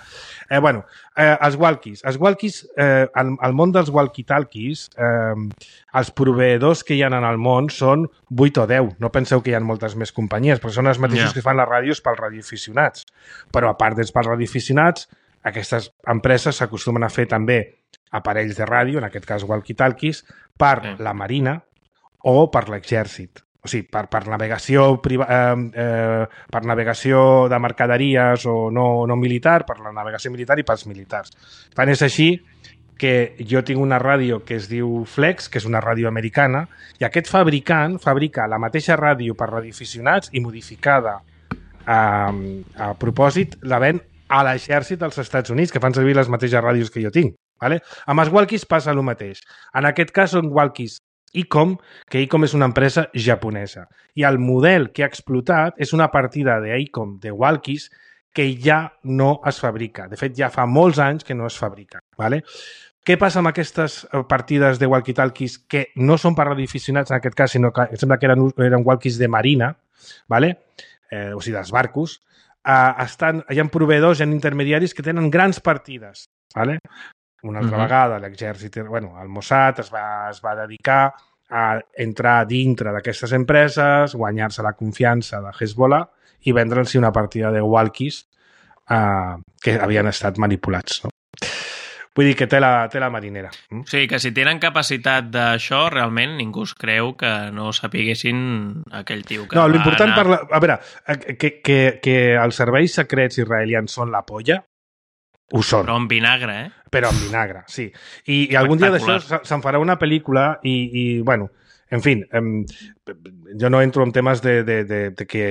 Eh, bueno, eh, els walkies. Els walkies, eh, al, al món dels walkie-talkies, eh, els proveïdors que hi ha en el món són vuit o deu. No penseu que hi ha moltes més companyies, però són els mateixos yeah. que fan les ràdios pels radioaficionats. Però a part dels pels radioaficionats, aquestes empreses s'acostumen a fer també aparells de ràdio, en aquest cas walkie-talkies, per sí. la Marina o per l'exèrcit. O sigui, per, per, navegació priva, eh, eh, per navegació de mercaderies o no, no militar, per la navegació militar i pels militars. Tant és així que jo tinc una ràdio que es diu Flex, que és una ràdio americana, i aquest fabricant fabrica la mateixa ràdio per radioaficionats i modificada eh, a propòsit, la ven a l'exèrcit dels Estats Units, que fan servir les mateixes ràdios que jo tinc. Vale? Amb els walkies passa el mateix. En aquest cas són walkies Icom, que Icom és una empresa japonesa. I el model que ha explotat és una partida d'Icom de walkies que ja no es fabrica. De fet, ja fa molts anys que no es fabrica. ¿Vale? Què passa amb aquestes partides de walkie-talkies que no són per radioaficionats en aquest cas, sinó que sembla que eren, eren walkies de marina, ¿vale? eh, o sigui, dels barcos, eh, estan, hi ha proveïdors, hi ha intermediaris que tenen grans partides. ¿Vale? Una altra uh-huh. vegada l'exèrcit, bueno, el Mossad es va, es va dedicar a entrar dintre d'aquestes empreses, guanyar-se la confiança de Hezbollah i vendre'ls una partida de walkies eh, que havien estat manipulats. No? Vull dir que té la, té la marinera. Mm? Sí, que si tenen capacitat d'això, realment ningú es creu que no sapiguessin aquell tio que no, va l'important anar... per la... A veure, que, que, que els serveis secrets israelians són la polla, ho són. Però amb vinagre, eh? Però amb vinagre, sí. I, i algun dia d'això se'n farà una pel·lícula i, i bueno, en fi, em, jo no entro en temes de, de, de, de que,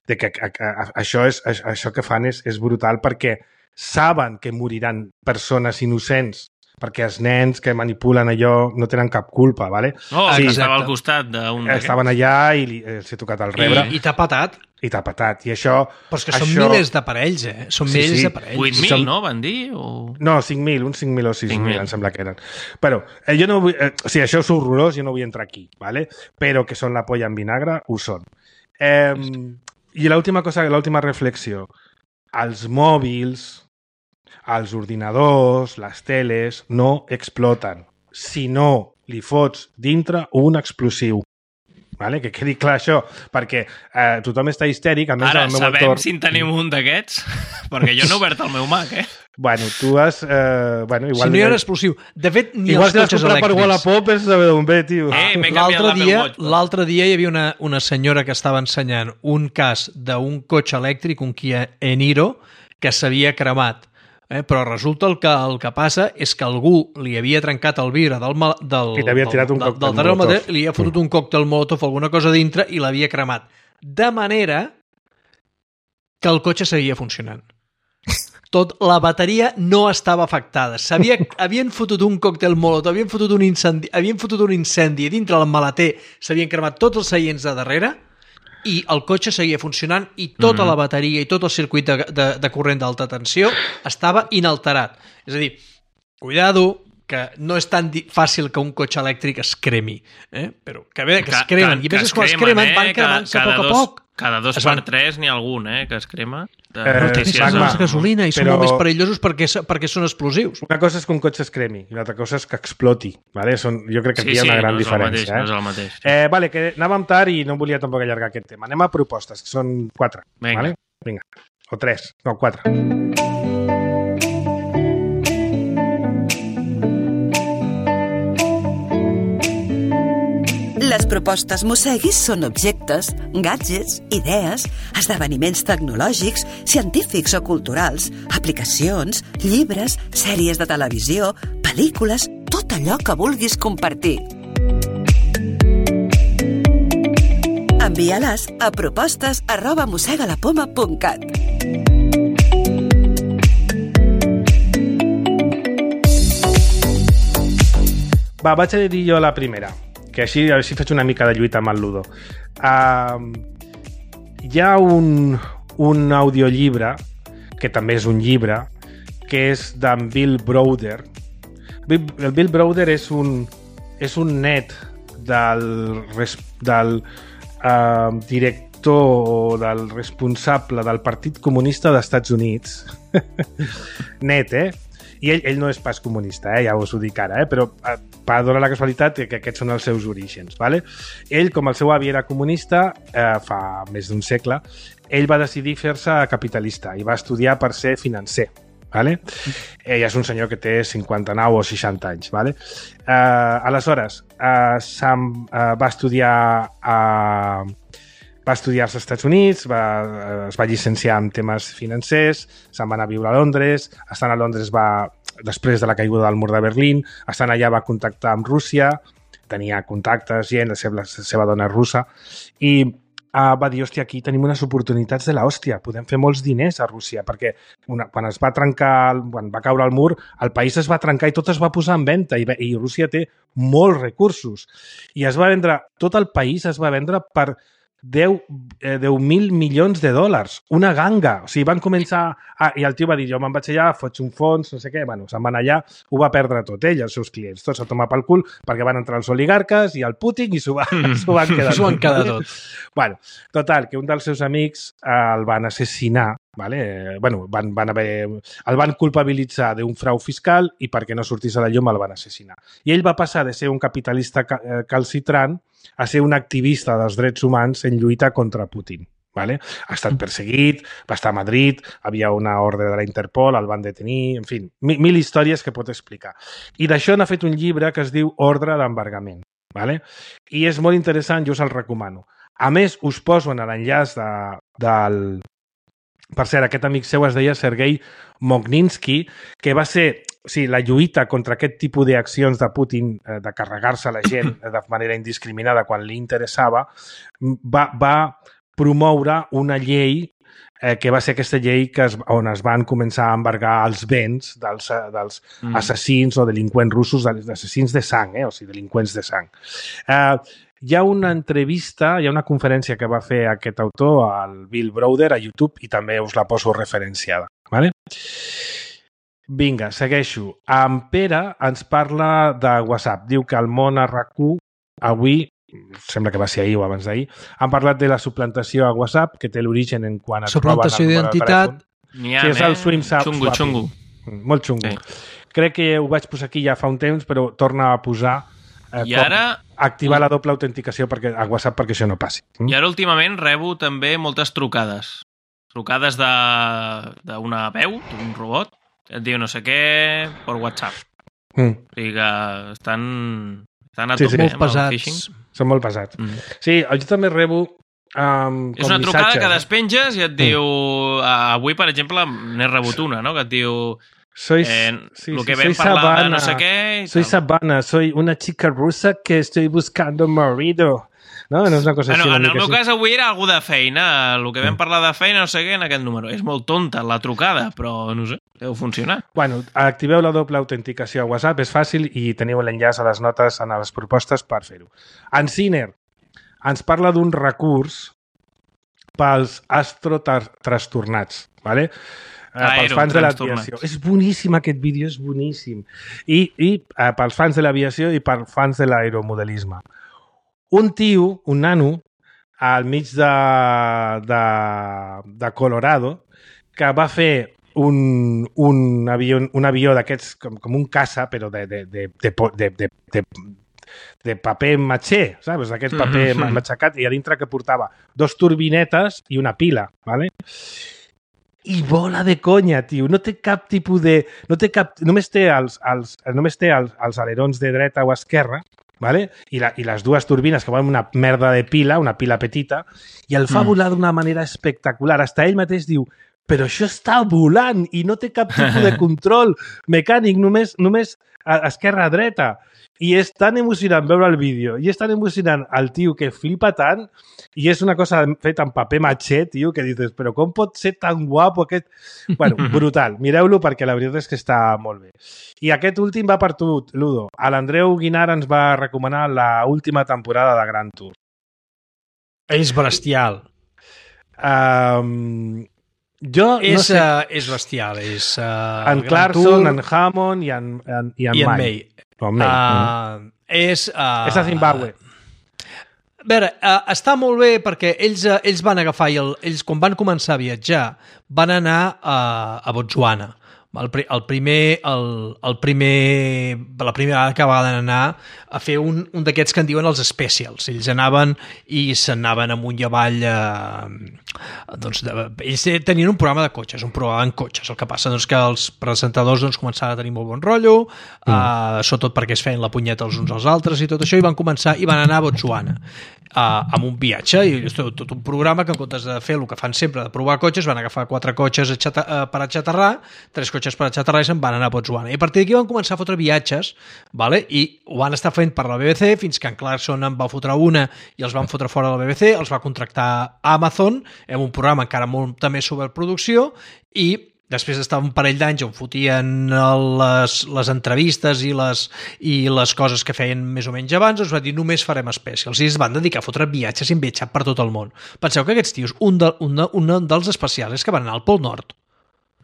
de que a, a, a, això, és, a, això que fan és, és brutal perquè saben que moriran persones innocents perquè els nens que manipulen allò no tenen cap culpa, ¿vale? Oh, sí, estava al costat d'un... Estaven allà i li, els he tocat el rebre. I, i t'ha patat. I t'ha patat. I això... Però és que això... són milers d'aparells, eh? Són sí, milers sí. d'aparells. vuit mil, som... no? Van dir? O... No, cinc mil, uns cinc mil o sis mil, em sembla que eren. Però eh, jo no vull... Eh, o sigui, això és horrorós, jo no vull entrar aquí, ¿vale? Però que són la polla en vinagre, ho són. Eh, I l'última cosa, l'última reflexió. Els mòbils... els ordinadors, les teles, no exploten. Si no li fots dintre un explosiu. Vale? Que quedi clar això, perquè eh, tothom està histèric. A més, ara meu sabem entorn... si en tenim un d'aquests, perquè jo no he obert el meu Mac, eh? Bueno, tu has... Eh, bueno, igual si no hi ha un explosiu. De fet, ni igual els cotxes elèctrics. Igual si l'has comprat per Wallapop és saber d'on ve, tio. Eh, m'he canviat l'Apple dia, Watch. L'altre dia hi havia una, una senyora que estava ensenyant un cas d'un cotxe elèctric, un Kia Eniro, que s'havia cremat. Eh, però resulta el que, el que passa és que algú li havia trencat el vidre del, del, I t'havia tirat un del, còctel del, del molotov. Li havia fotut un còctel molotov o alguna cosa dintre i l'havia cremat. De manera que el cotxe seguia funcionant. Tot, la bateria no estava afectada. Havien fotut un còctel molotov, havien fotut un incendi, havien fotut un incendi dintre el maleter, s'havien cremat tots els seients de darrere i el cotxe seguia funcionant i tota mm. la bateria i tot el circuit de, de, de corrent d'alta tensió estava inalterat. És a dir, cuidado, que no és tan fàcil que un cotxe elèctric es cremi, eh? Però que bé, que es cremen. I a més, quan es cremen, van cremant-se a poc a poc. Cada dos per tres n'hi ha algun, eh, que es crema. De eh, notícies. Magma, de gasolina i però... són molt més perillosos perquè, perquè són explosius. Una cosa és que un cotxe es cremi i l'altra cosa és que exploti. Vale? Són, jo crec que aquí sí, hi ha una sí, gran no diferència. Mateix, eh? No és el mateix. Sí. Eh, vale, que anàvem tard i no volia tampoc allargar aquest tema. Anem a propostes, que són quatre. Vinga. Vale? Vinga. O tres. No, quatre. Les propostes Mosseguis són objectes, gadgets, idees, esdeveniments tecnològics, científics o culturals, aplicacions, llibres, sèries de televisió, pel·lícules, tot allò que vulguis compartir. Envia-les a propostes arroba mossegalapoma punt cat. Va, vaig a dir jo la primera, que així, a veure si faig una mica de lluita amb el Ludo. Uh, hi ha un, un audiollibre, que també és un llibre, que és d'en Bill Browder. Bill, el Bill Browder és un, és un net del, del uh, director o del responsable del Partit Comunista dels Estats Units. Net, eh? I ell, ell no és pas comunista, eh? Ja us ho dic ara, eh? Però eh, va donar la casualitat que aquests són els seus orígens. Vale? Ell, com el seu avi era comunista, eh, fa més d'un segle, ell va decidir fer-se capitalista i va estudiar per ser financer. Vale? Ell és un senyor que té cinquanta-nou o seixanta anys. Vale? Eh, aleshores, eh, eh, va estudiar a... Va estudiar als Estats Units, va, es va llicenciar en temes financers, se'n va anar a viure a Londres, estant a Londres va, després de la caiguda del mur de Berlín, estant allà va contactar amb Rússia, tenia contactes, gent, la seva, la seva dona russa, i uh, va dir, hòstia, aquí tenim unes oportunitats de l'hòstia, podem fer molts diners a Rússia, perquè una, quan es va trencar, quan va caure el mur, el país es va trencar i tot es va posar en venda, i, i Rússia té molts recursos. I es va vendre, tot el país es va vendre per deu mil milions de dòlars. Una ganga. O sigui, van començar... Ah, i el tio va dir, jo me'n vaig allà, foig un fons, no sé què. Bueno, se'n van allà, ho va perdre tot ell, els seus clients. Tots a tomar pel cul, perquè van entrar els oligarques i el Putin i s'ho van, van quedar S'ho van quedar tot. Bueno, total, que un dels seus amics el van assassinar, vale? Bueno, van, van haver, el van culpabilitzar d'un frau fiscal i perquè no sortís a la llum el van assassinar. I ell va passar de ser un capitalista calcitrant a ser un activista dels drets humans en lluita contra Putin. Vale? Ha estat perseguit, va estar a Madrid, havia una ordre de la Interpol, el van detenir, en fi, mil, mil històries que pot explicar. I d'això n'ha fet un llibre que es diu Ordre d'embargament. Vale? I és molt interessant, jo us el recomano. A més, us poso en l'enllaç de, del... Per cert, aquest amic seu es deia Sergei Mogninsky, que va ser... O sigui, la lluita contra aquest tipus d'accions de Putin, de carregar-se la gent de manera indiscriminada quan li interessava, va, va promoure una llei eh, que va ser aquesta llei que es, on es van començar a embargar els béns dels, dels mm. assassins o delinqüents russos, assassins de sang, eh? O sigui, delinqüents de sang. Eh, hi ha una entrevista, hi ha una conferència que va fer aquest autor, el Bill Browder, a YouTube, i també us la poso referenciada. Vale? Vinga, segueixo. En Pere ens parla de WhatsApp. Diu que el món a RAC1 avui, sembla que va ser ahir o abans d'ahir, han parlat de la suplantació a WhatsApp, que té l'origen en quan es roben el número de telèfon. Suplantació d'identitat. N'hi ha, sí, és el swim eh? Xungo, xungo. Molt xungo. Sí. Crec que ho vaig posar aquí ja fa un temps, però torna a posar eh, I ara... activar la doble autenticació perquè, a WhatsApp perquè això no passi. I ara últimament rebo també moltes trucades. Trucades d'una veu, d'un robot, et diu no sé què per WhatsApp. Mm. O sigui que estan, estan a sí, tope sí. amb el phishing. Són molt pesats. Mm. Sí, jo també rebo um, és una trucada missatges, que despenges i et diu... Mm. Avui, per exemple, n'he rebut una, no? Que et diu... Soy, eh, sí, lo que sí, vam parlar Sabana, de no sé què... Soy tal. Sabana, soy una chica rusa que estoy buscando marido. No, no és una cosa bueno, així. En el meu sí. cas avui era algú de feina, el que vam parlar de feina, no sé què, en aquest número. És molt tonta la trucada, però no sé, deu funcionar. Bueno, activeu la doble autenticació a WhatsApp, és fàcil i teniu l'enllaç a les notes en les propostes per fer-ho. En Ciner ens parla d'un recurs pels astrotrastornats, ¿vale? Uh, pels fans de l'aviació. És boníssim aquest vídeo, és boníssim. I, i uh, pels fans de l'aviació i pels fans de l'aeromodelisme. Un tio, un nano, al mig de, de, de Colorado, que va fer un, un avió, un avió d'aquests com, com un caça, però de, de, de, de, de, de, de, de paper matxer, saps? D'aquest paper mm-hmm. matxacat, i a dintre que portava dos turbinetes i una pila, ¿vale? I vola de conya, tio. No té cap tipus de... No té cap... Només té els, els, només té els, els alerons de dreta o esquerra, ¿vale? I, la, i les dues turbines que van una merda de pila, una pila petita, i el fa mm. volar d'una manera espectacular. Hasta ell mateix diu, però això està volant i no té cap tipus de control mecànic, només, només esquerra-dreta. I és tan emocionant veure el vídeo, i és tan emocionant el tio que flipa tant, i és una cosa feta en paper matxer, tio, que dius, però com pot ser tan guapo aquest... Bueno, brutal. Mireu-lo perquè la veritat és que està molt bé. I aquest últim va per tu, Ludo. L'Andreu Guinar ens va recomanar la última temporada de Grand Tour. És bestial. Um, jo és, no sé... Uh, és bestial. És, uh, en Clarkson, en Hammond i en, en, i en, I en May. May. Oh, May. Uh, mm. És... Uh, és a Zimbabue. A veure, uh, està molt bé perquè ells, uh, ells van agafar i el, ells, quan van començar a viatjar, van anar uh, a Botswana. El, el primer, el, el primer, la primera vegada que van anar a fer un, un d'aquests que en diuen els specials. Ells anaven i s'anaven amunt i avall. Eh, doncs de, ells tenien un programa de cotxes, un programa en cotxes. El que passa doncs, que els presentadors doncs, començaven a tenir molt bon rotllo, mm. eh, sobretot perquè es feien la punyeta els uns als altres i tot això, i van començar i van anar a Botswana. Uh, amb un viatge i tot, tot un programa que en comptes de fer el que fan sempre de provar cotxes, van agafar quatre cotxes a xata, uh, per aixaterrar, tres cotxes per aixaterrar i se'n van anar a Botswana. I a partir d'aquí van començar a fotre viatges, vale? I ho van estar fent per la B B C fins que en Clarkson en va fotre una i els van fotre fora de la B B C, els va contractar a Amazon amb un programa encara molt també sobre producció i després d'estar un parell d'anys on fotien les, les entrevistes i les, i les coses que feien més o menys abans, es va dir només farem especials i es van dedicar a fotre viatges i han viatjat per tot el món. Penseu que aquests tios, un, de, un, de, un dels especials és que van anar al Pol Nord.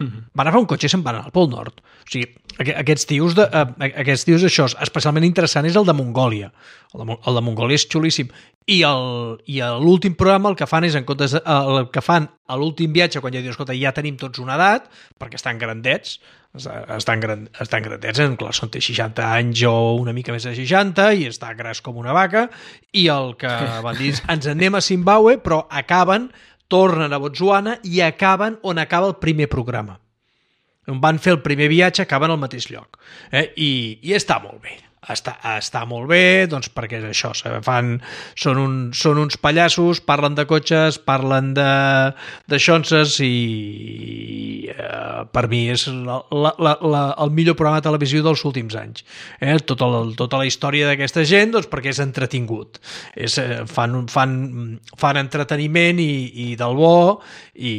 Mm-hmm. Van agafar un cotxe i se'n van anar al Pol Nord. O sigui, aquests tios, de, aquests tios això, especialment interessant és el de Mongòlia. El de, el de Mongòlia és xulíssim. I, el, i l'últim programa el que fan és, en comptes de, el que fan a l'últim viatge, quan ja dius, escolta, ja tenim tots una edat, perquè estan grandets, estan, gran, estan grandets, en clar, són té seixanta anys o una mica més de seixanta, i està gras com una vaca, i el que van dir, ens anem a Zimbabue, però acaben, tornen a Botswana i acaben on acaba el primer programa. On van fer el primer viatge, acaben al mateix lloc. Eh? I, I està molt bé. Està, està molt bé, doncs perquè és això, fan, són, un, són uns pallassos, parlen de cotxes, parlen de, de xonses i eh, per mi és la, la, la, el millor programa de televisió dels últims anys. Eh? Tota, la, tota la història d'aquesta gent, doncs perquè és entretingut. És, fan, fan, fan entreteniment i, i del bo i,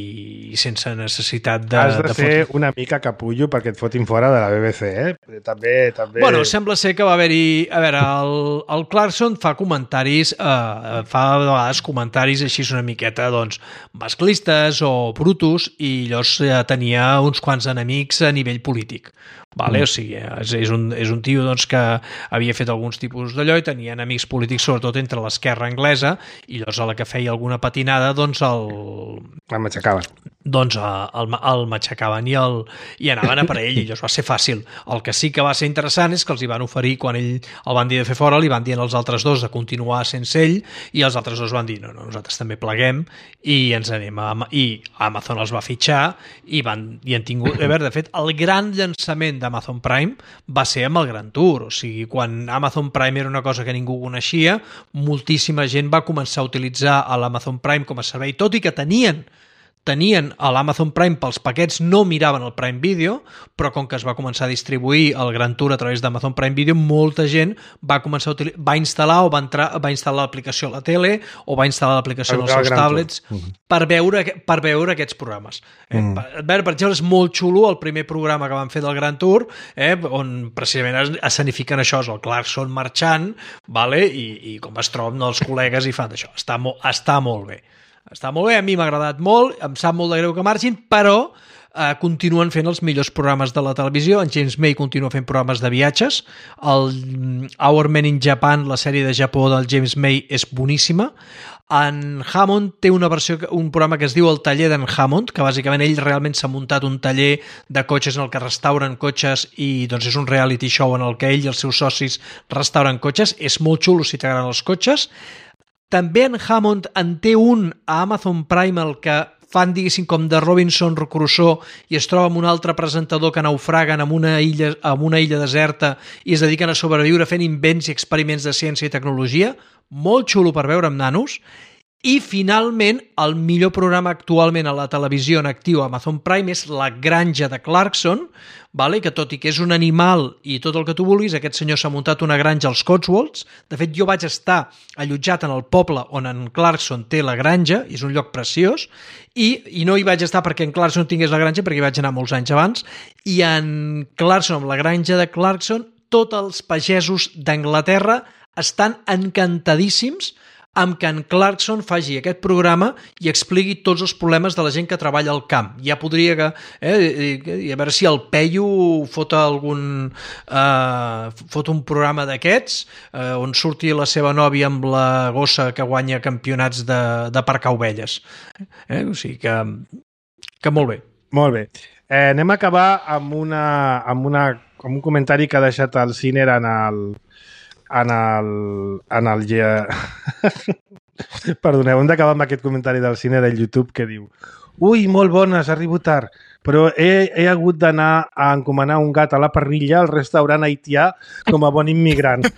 i sense necessitat de... Has de, de ser fotre... una mica capullo perquè et fotin fora de la B B C, eh? També, també... Bueno, sembla ser que va haver-hi... A veure, el, el Clarkson fa comentaris, eh, fa de vegades comentaris així una miqueta, doncs, masclistes o brutos, i llavors eh, tenia uns quants enemics a nivell polític. Vale? Mm. O sigui, és, és, un, és un tio doncs, que havia fet alguns tipus d'allò i tenia enemics polítics, sobretot entre l'esquerra anglesa, i llavors a la que feia alguna patinada, doncs el... El matxacaven. Doncs el, el matxacaven i, el, i anaven a per ell, i llavors va ser fàcil. El que sí que va ser interessant és que els hi van oferir, quan ell el van dir de fer fora, li van dir als altres dos de continuar sense ell, i els altres dos van dir, no, no, nosaltres també pleguem, i ens anem a... I Amazon els va fitxar, i, van, i han tingut... A veure, de fet, el gran llançament d'Amazon Prime va ser amb el Gran Tour, o sigui, quan Amazon Prime era una cosa que ningú coneixia, moltíssima gent va començar a utilitzar l'Amazon Prime com a servei, tot i que tenien tenien a l'Amazon Prime pels paquets, no miraven el Prime Video, però com que es va començar a distribuir el Gran Tour a través d'Amazon Prime Video, molta gent va començar a utilitzar, va instal·lar o va, entrar, va instal·lar l'aplicació a la tele o va instal·lar l'aplicació als seus tablets uh -huh. per, veure, per veure aquests programes. Eh, mm. per, per, per exemple, és molt xulo el primer programa que van fer del Gran Tour, eh, on precisament escenifiquen això, és el Clarkson marxant, vale? I, i com es troben els col·legues i fan això. Està, mo, està molt bé. Està molt bé, a mi m'ha agradat molt, em sap molt de greu que marxin, però eh, continuen fent els millors programes de la televisió. En James May continua fent programes de viatges. El Our Men in Japan, la sèrie de Japó del James May, és boníssima. En Hammond té una versió, un programa que es diu El taller d'en Hammond, que bàsicament ell realment s'ha muntat un taller de cotxes en el que restauren cotxes i doncs és un reality show en el que ell i els seus socis restauren cotxes. És molt xulo si t'agraden els cotxes. També en Hammond en té un a Amazon Prime, el que fan, diguéssim, com de Robinson Crusoe, i es troba amb un altre presentador que naufraguen en una illa, en una illa deserta i es dediquen a sobreviure fent invents i experiments de ciència i tecnologia. Molt xulo per veure amb nanos. I, finalment, el millor programa actualment a la televisió en actiu a Amazon Prime és La granja de Clarkson, vale? Que tot i que és un animal i tot el que tu vulguis, aquest senyor s'ha muntat una granja als Cotswolds. De fet, jo vaig estar allotjat en el poble on en Clarkson té la granja, és un lloc preciós, i, i no hi vaig estar perquè en Clarkson tingués la granja, perquè hi vaig anar molts anys abans, i en Clarkson, amb la granja de Clarkson, tots els pagesos d'Anglaterra estan encantadíssims amb que en Clarkson faci aquest programa i expliqui tots els problemes de la gent que treballa al camp. Ja podria que... Eh, a veure si el Peyu fot algun... Eh, fot un programa d'aquests eh, on surti la seva nòvia amb la gossa que guanya campionats de, de parcar ovelles. Eh, o sigui que... que molt bé. Molt bé. Eh, anem a acabar amb, una, amb, una, amb un comentari que ha deixat el Ciner en el... en el... En el Perdoneu, hem d'acabar amb aquest comentari del Cine del YouTube que diu: ui, molt bones, arribo tard, però he, he hagut d'anar a encomanar un gat a la parrilla al restaurant haitià com a bon immigrant.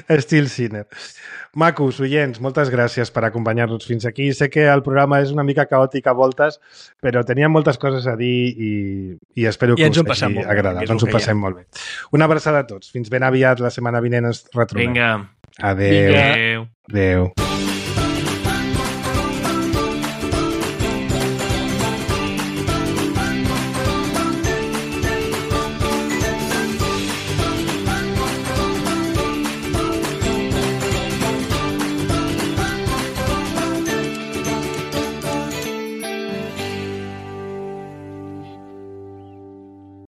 Estil Cine. Macos, oients, moltes gràcies per acompanyar-nos fins aquí. Sé que el programa és una mica caòtic a voltes, però teníem moltes coses a dir i, i espero que I us hagi agradat. Ens ho passem molt bé. Una abraçada a tots. Fins ben aviat, la setmana vinent ens retrobem. Vinga. Adéu. Adéu. Adéu.